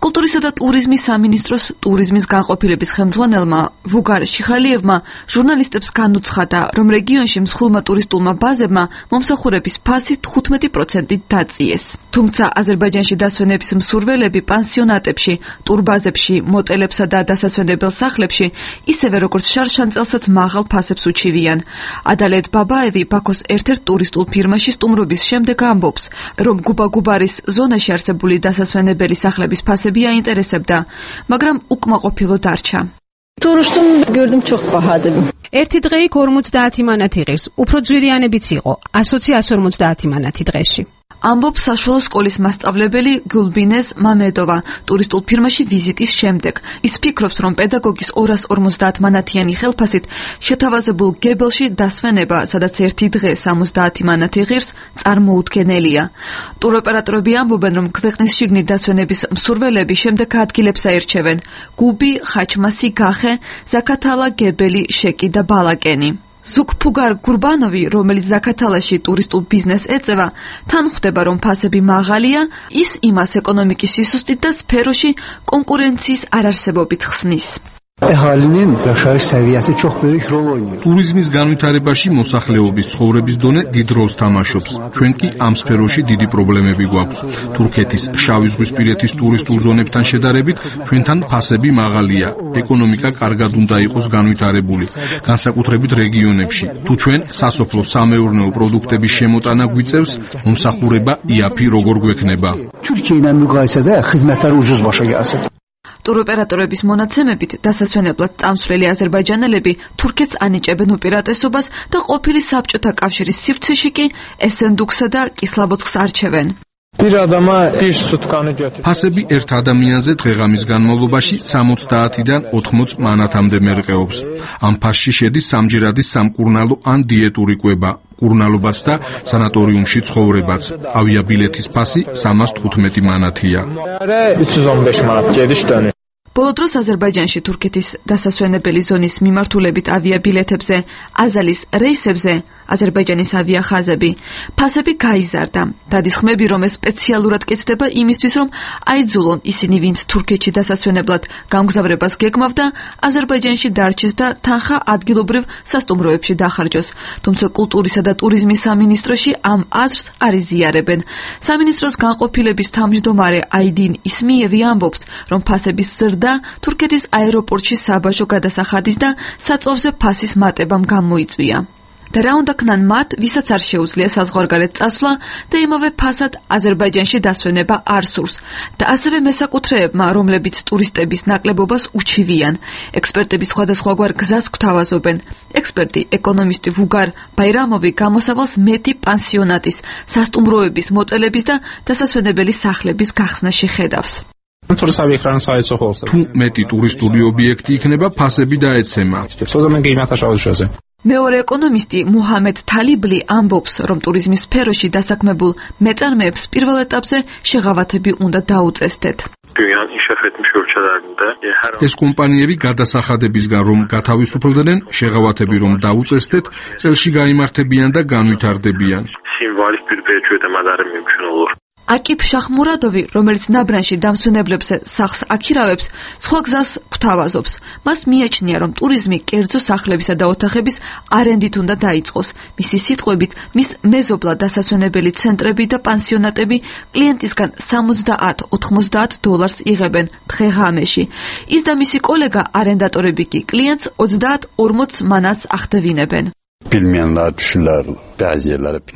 კულტურისა და ტურიზმის სამინისტროს ტურიზმის განყოფილების ხელმძღვანელმა ვუგარ შიხალიევმა ჟურნალისტებს განუცხადა, რომ რეგიონში მსხვილმა ტურისტულმა ბაზებმა მომსახურების ფასი 15% დაწიეს. თუმცა აზერბაიჯანში დასვენების მსურველები პანსიონატებში, ტურბაზებში, მოტელებსა და დასასვენებელ სახლებში ისევე როგორც შარშანწელსაც მაღალ ფასებს უჩივიან. ადალეთ ბაბაევი ბაქოს ერთ-ერთ ტურისტულ ფირმაში სტუმრობის შემდეგ ამბობს, რომ გუბაგუბარის ზონაში არსებული დასასვენებელი სახლების ფასები აინტერესებდა, მაგრამ უკმაყოფილო დარჩა. Turuştum gördüm çok pahalı. ერთი დღე იქ 50 მანათი ღირს, უფრო ძვირიანებიც იყო, 100-150 მანათი დღეში. ამბობს საშუალო სკოლის მასწავლებელი გულბინეს მამედოვა ტურისტულ ფირმაში ვიზიტის შემდეგ. ის ფიქრობს, რომ პედაგოგის 250 მანათიანი ხელფასით შეთავაზებულ გებელში დასვენება, სადაც ერთი დღე 70 მანათი ღირს, წარმოუდგენელია. ტუროპერატორები ამბობენ, რომ ქვეყნის შიგნით დასვენების მსურველები შემდეგ ადგილებს აირჩევენ: გუბი, ხაჩმასი, გახე, ზაქათალა, გებელი, შეკი და ბალაკენი. ზუგფუგარ გურბანოვი, რომელიც ზაქათალაში ტურისტულ ბიზნესს ეწევა, თან ხვდება, რომ ფასები მაღალია, ის იმას ეკონომიკის სისუსტით და სფეროში კონკურენციის არარსებობით ხსნის. ტურიზმის განვითარებაში მოსახლეობის ცხოვრების დონე დიდ როლს თამაშობს. ჩვენ კი ამ სფეროში დიდი პრობლემები გვაქვს. თურქეთის, შავიზღვისპირეთის ტურისტულ ზონებთან შედარებით ჩვენთან ფასები მაღალია. ეკონომიკა კარგად უნდა იყოს განვითარებული, განსაკუთრებით რეგიონებში. თუ ჩვენ სასოფლო-სამეურნეო პროდუქტების შემოტანა გვიწევს, მომსახურება იაფი როგორ გვექნება? ტუროპერატორების მონაცემებით დასასვენებლად წამსვლელი აზერბაიჯანელები თურქეთს ანიჭებენ უპირატესობას და ყოფილი საბჭოთა კავშირის სივრცეში კი ესენდუქსა და კისლავოძსკს არჩევენ. ფასები ერთ ადამიანზე დღეღამის განმავლობაში 60-დან 80 მანათამდე მერყეობს. ამ ფასში შედის სამჯერადი სამკურნალო ან დიეტური კვება, კურნალობაც და სანატორიუმში ცხოვრებაც. ავიაბილეთის ფასი 315 მანათია. ბოლო დროს აზერბაიჯანში თურქეთის დასასვენებელი ზონის მიმართულებით ავიაბილეთებზე, აზალის რეისებზე, აზერბაიჯანის ავიახაზები, ფასები გაიზარდა. დადის ხმები, რომ ეს სპეციალურად კეთდება იმისთვის, რომ აიძულონ ისინი, ვინც თურქეთში დასასვენებლად გამგზავრებას გეგმავდა, აზერბაიჯანში დარჩეს და თანხა ადგილობრივ სასტუმროებში დახარჯოს. თუმცა კულტურისა და ტურიზმის სამინისტროში ამ აზრს არ იზიარებენ. სამინისტროს განყოფილების თავმჯდომარე აიდინ ისმიევი ამბობს, რომ ფასების ზრდა თურქეთის აეროპორტში საბაჟო გადასახადის და საწვავზე ფასის მატებამ გამოიწვია. და რა უნდა ქნან მათ, ვისაც არ შეუძლია საზღვარგარეთ წასვლა და იმავე ფასად აზერბაიჯანში დასვენება არ სურს და ასევე მესაკუთრეებმა, რომლებიც ტურისტების ნაკლებობას უჩივიან. ექსპერტები სხვადასხვაგვარ გზას გვთავაზობენ. ექსპერტი, ეკონომისტი ვუგარ ბაირამოვი გამოსავალს მეტი პანსიონატის, სასტუმროების, მოტელების და დასასვენებელი სახლების გახსნაში ხედავს. თუ მეტი ტურისტული ობიექტი იქნება, ფასები დაეცემა. მეორე ეკონომისტი მუჰამედ თალიბლი ამბობს, რომ ტურიზმის სფეროში დასაქმებულ მეწარმეებს პირველ ეტაპზე შეღავათები უნდა დაუწესდეთ. ეს კომპანიები გადასახადებისგან რომ გათავისუფლდნენ, შეღავათები რომ დაუწესდეთ, წელში გაიმართებიან და განვითარდებიან. აკიფ შახმურადოვი, რომელიც ნაბრანში დამსვენებლებზე სახლს აქირავებს, სხვა გზას გვთავაზობს. მას მიაჩნია, რომ ტურიზმი კერძო სახლებისა და ოთახების არენდით უნდა დაიწყოს. მისი სიტყვებით, მის მეზობლად დასასვენებელი ცენტრები და პანსიონატები კლიენტისგან $30-90 იღებენ დღე-ღამეში. ის და მისი კოლეგა არენდატორები კი კლიენტს 30-40 მანათს ახდევინებენ.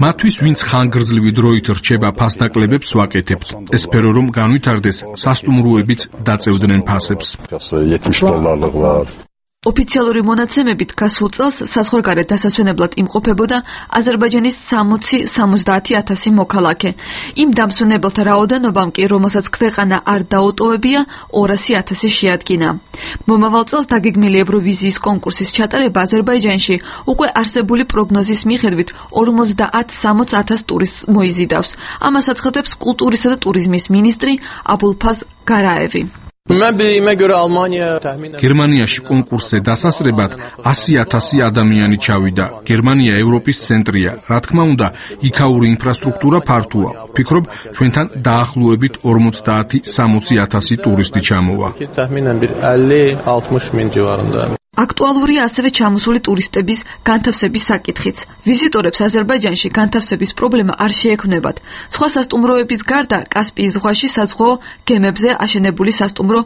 მათთვის ვინც ხანგრძლივი დროით რჩება ფასნაკლებებს ვაკეთებთ. ეს სფერო რომ განვითარდეს, სასტუმროებიც დაწევდნენ ფასებს. ოფიციალური მონაცემებით გასულ წელს საზღვარგარეთ დასასვენებლად იმყოფებოდა აზერბაიჯანის 60-70,000 მოქალაქე. იმ დამსვენებელთა რაოდენობამ კი, რომელსაც ქვეყანა არ დაუტოვებია, 200,000 შეადგინა. მომავალ წელს დაგეგმილი ევროვიზიის კონკურსის ჩატარება აზერბაიჯანში უკვე არსებული პროგნოზის მიხედვით 50-60,000 ტურისტს მოიზიდავს. ამას აცხადებს კულტურისა და ტურიზმის მინისტრი აბულფაზ გარაევი. გერმანიაში კონკურსზე დასასრებად 100,000 ადამიანი ჩავიდა. გერმანია ევროპის ცენტრია. რა თქმა უნდა, იქაური ინფრასტრუქტურა ფართოა. ვფიქრობ, ჩვენთან დაახლოებით 50-60,000 ტურისტი ჩამოვა. აქტუალურია ასევე ჩამოსული ტურისტების განთავსების საკითხიც. ვიზიტორებს აზერბაიჯანში განთავსების პრობლემა არ შეექმნებათ. სხვა სასტუმროების გარდა კასპიის ზღვაში საზღვაო გემებზე აშენებული სასტუმრო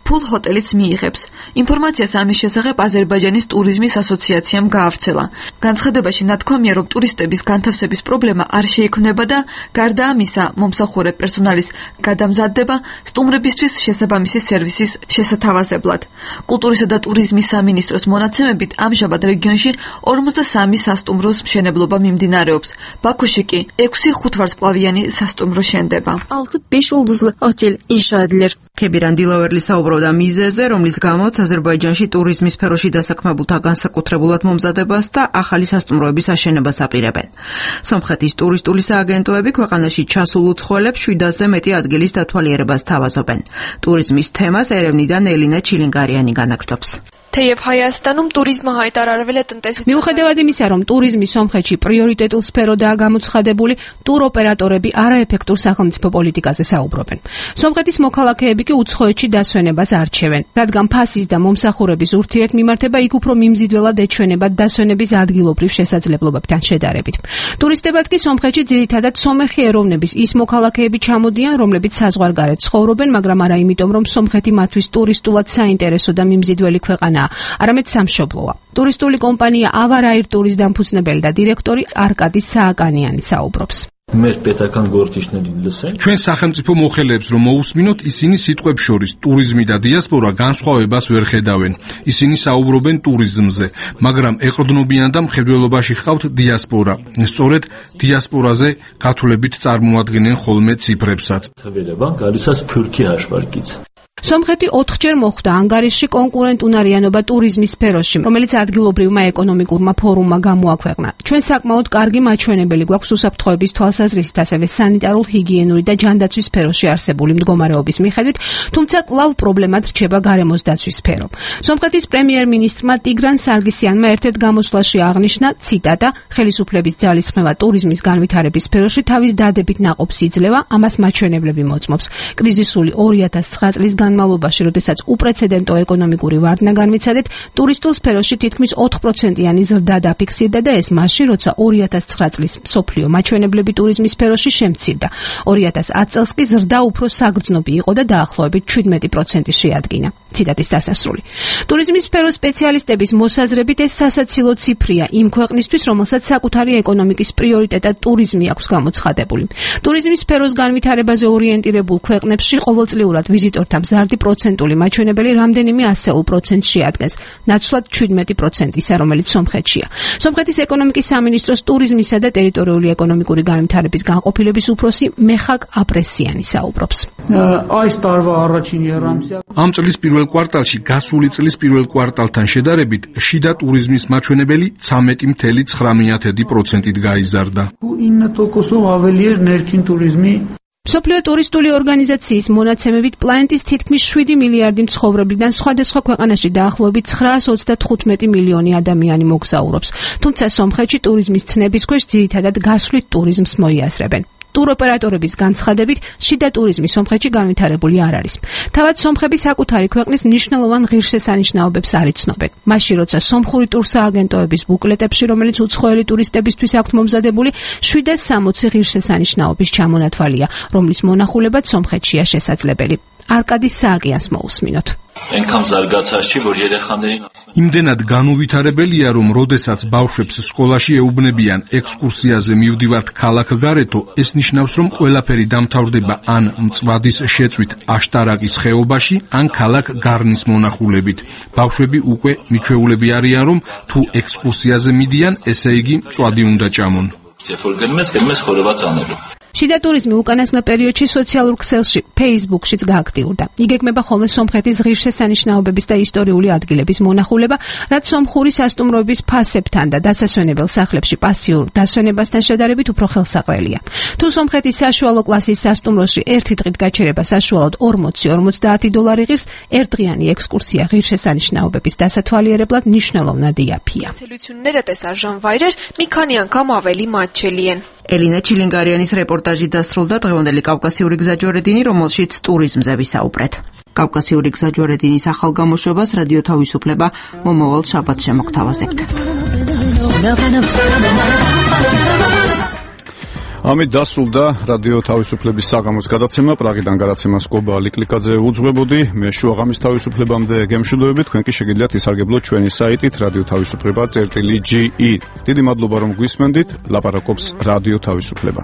ფულ ჰოტელიც მიიღებს. ინფორმაციას ამის შესახებ აზერბაიჯანის ტურიზმის ასოციაციამ გაავრცელა. განცხადებაში ნათქვამია, რომ ტურისტების განთავსების პრობლემა არ შეექმნება და გარდა ამისა, მომსახურე პერსონალის გადამზადდება სტუმრებისთვის შესაბამისი სერვისის შესათავაზებლად. კულტურისა და ტურიზმის სამინისტროს მონაცემებით ამჟამად რეგიონში 43 სასტუმროს მშენებლობა მიმდინარეობს. ბაქოში კი 6 ხუთვარსკვლავიანი სასტუმრო შენდება. 6-5 yıldızlı otel inşa edilir. ქებირან დილავერლი საუბრობდა მიზეზზე, რომლის გამოც აზერბაიჯანში ტურიზმის სფეროში დასაქმებულთა განსაკუთრებულად მომზადებას და ახალი სასტუმროების აშენებას აპირებენ. სომხეთის ტურისტული სააგენტოები ქვეყანაში ჩასულ უცხოელებს 700-ზე მეტი ადგილის დათვალიერებას თავაზობენ. ტურიზმის თემას ერევნიდან ელინა ჩილინგარიანი განაგრძობს. მიუხედავად იმისა, რომ ტურიზმი სომხეთში პრიორიტეტულ სფეროდაა გამოცხადებული, ტუროპერატორები არაეფექტურ სახელმწიფო პოლიტიკაზე საუბრობენ. სომხეთის მოქალაქეები კი უცხოეთში დასვენებას არჩევენ, რადგან ფასის და მომსახურების ურთიერთმიმართება იქ უფრო მიმზიდველად ეჩვენება დასვენების ადგილობრივ შესაძლებლობებთან შედარებით. ტურისტებად კი სომხეთში ძირითადად სომეხი ეროვნების ის მოქალაქეები ჩამოდიან, რომლებიც საზღვარგარეთ ცხოვრობენ, მაგრამ არა იმიტომ, რომ სომხეთი მათთვის ტურისტულად საინტერესო და მიმზიდველი ქვეყანა, არამედ სამშობლოა. ტურისტული კომპანია ავარაირ ტურის დამფუძნებელი და დირექტორი არკადი სააკანიანი საუბრობს. ჩვენ სახელმწიფო მოხელეებს რომ მოусმინოთ, ისინი სიტყვებს შორის ტურიზმი და დიასპორა განსხვავებას ვერ ხედავენ. ისინი საუბრობენ ტურიზმზე, მაგრამ ეყრდნობიან და მხედველობაში ხავთ დიასპორა. სწორედ დიასპორაზე გათვლებით წარმოადგენენ ხოლმე ციფრებსაც. სომხეთი 4-ჯერ მოხვდა ანგარიშში კონკურენტუნარიანობა ტურიზმის სფეროში, რომელიც ადგილობრივმა ეკონომიკურმა ფორუმმა გამოაქვეყნა. ჩვენ საკმაოდ კარგი მაჩვენებელი გვაქვს უსაფრთხოების თვალსაზრისით, ასევე სანიტარულ-ჰიგიენური და ჯანდაცვის სფეროში არსებული მდგომარეობის მიხედვით, თუმცა კვლავ პრობლემად რჩება გარემოს დაცვის სფერო. სომხეთის პრემიერ-მინისტრმა ტიგრან სარგისიანმა ერთ-ერთ გამოსვლაში აღნიშნა, ციტატა, ხელისუფლების ძალისხმევა ტურიზმის განვითარების სფეროში თავის დადებით ნაყოფს იძლევა, ამას მაჩვენებლები მოწმობს. კრიზისული 2009 წლის განმავლობაში, როდესაც უპრეცედენტო ეკონომიკური ვარდნა განვიცადეთ, ტურისტულ სფეროში თითქმის 4%-იანი ზრდა დაფიქსირდა და ეს მაშინ, როცა 2009 წლის მსოფლიო მაჩვენებლები ტურიზმის სფეროში შემცირდა. 2010 წელს კი ზრდა უფრო საგრძნობი იყო და დაახლოებით 17% შეადგინა. ციტატის დასასრული. ტურიზმის სფეროს სპეციალისტების მოსაზრებით ეს სასაცილო ციფრია იმ ქვეყნისთვის, რომელსაც საკუთარი ეკონომიკის პრიორიტეტად ტურიზმი აქვს გამოცხადებული. ტურიზმის სფეროს განვითარებაზე ორიენტირებულ ქვეყნებში ყოველწლიურად ვიზიტორთა მზარდი პროცენტული მაჩვენებელი რამდენიმე ასეულ პროცენტს შეადგენს, ნაცვლად 17% ისა, რომელიც სომხეთშია. სომხეთის ეკონომიკის სამინისტროს ტურიზმისა და ტერიტორიული ეკონომიკური განვითარების განყოფილების უფროსი მეხაკ აპრესიანი საუბრობს. ამ წლის პირველ კვარტალში გასული წლის პირველ კვარტალთან შედარებით შიდა ტურიზმის მაჩვენებელი 13.9%-ით გაიზარდა. მსოფლიო ტურისტული ორგანიზაციის მონაცემებით პლანეტის თითქმის 7 მილიარდი მცხოვრებლიდან სხვადასხვა ქვეყანაში დაახლოებით 925 მილიონი ადამიანი მოგზაურობს. თუმცა სომხეთში ტურიზმის ცნების ქვეშ ძირითადად გასვლით ტურიზმს მოიაზრებენ. ტუროპერატორების განცხადებით, შიდა ტურიზმი სომხეთში განვითარებული არ არის. თავად სომხები საკუთარი ქვეყნის მნიშვნელოვან ღირსშესანიშნაობებს არ იცნობენ. მაშინ, როცა სომხური ტურსააგენტოების ბუკლეტებში, რომელიც უცხოელი ტურისტებისთვის აქვთ მომზადებული, 760 ღირსშესანიშნაობის ჩამონათვალია, რომლის მონახულებაც სომხეთშია შესაძლებელი. არკადი სააკიანს მოусმინოთ. ენქამ ზარგაცაში որ երեխաներին იმდენად განუვითარებელია, რომ როდესაც ბავშვებს სკოლაში ეუბნებიან ექსკურსიაზე მივდივართ ქალაქგარეთო, ეს ნიშნავს, რომ ყველაფერი დამთავრდება ან მწვადის შეწვით აშტარაკის ხეობაში, ან ქალაქ გარნის მონახულებით. ბავშვები უკვე მიჩვეულები არიან, რომ თუ ექსკურსიაზე მიდიან, ესე იგი მწვადი უნდა ჭამონ. გერმეს ხორებაც ანելու. შიდა ტურიზმი უკანასკნელ პერიოდში სოციალურ ქსელში, Facebook-შიც გააქტიურდა. იგეგმება ხოლმე სომხეთის ღირსშესანიშნაობების და ისტორიული ადგილების მონახულება, რაც სომხური სასტუმროების ფასებთან და დასასვენებელ სახლებში პასიურ დასვენებასთან შედარებით უფრო ხელსაყრელია. თუ სომხეთის საშუალო კლასის სასტუმროში ერთი დღით გაჩერება საშუალოდ 40-50 დოლარი ღირს, ერთდღიანი ექსკურსია ღირსშესანიშნაობების დასათვალიერებლად მნიშვნელოვნად იაფია. ელინა ჩილინგარიანის რეპორტაჟი დასრულდა დღევანდელი კავკასიური გზაჯვარედინი, რომელშიც ტურიზმზე ვისაუბრეთ. კავკასიური გზაჯვარედინის ახალ გამოშვებას რადიო თავისუფლება მომავალ შაბათს შემოგთავაზებთ. ამით დასრულდა რადიო თავისუფლების საღამოს გადაცემა. პრაღიდან გადაცემას გობა ლიკლიკაძე უძღვებოდი. მე შუაღამის თავისუფლებამდე გემშვიდობებით. თქვენ კი შეგიძლიათ ისარგებლოთ ჩვენი საიტით radiotavisupleba.ge. დიდი მადლობა რომ გვისმენდით. ლაპარაკობს რადიო თავისუფლება.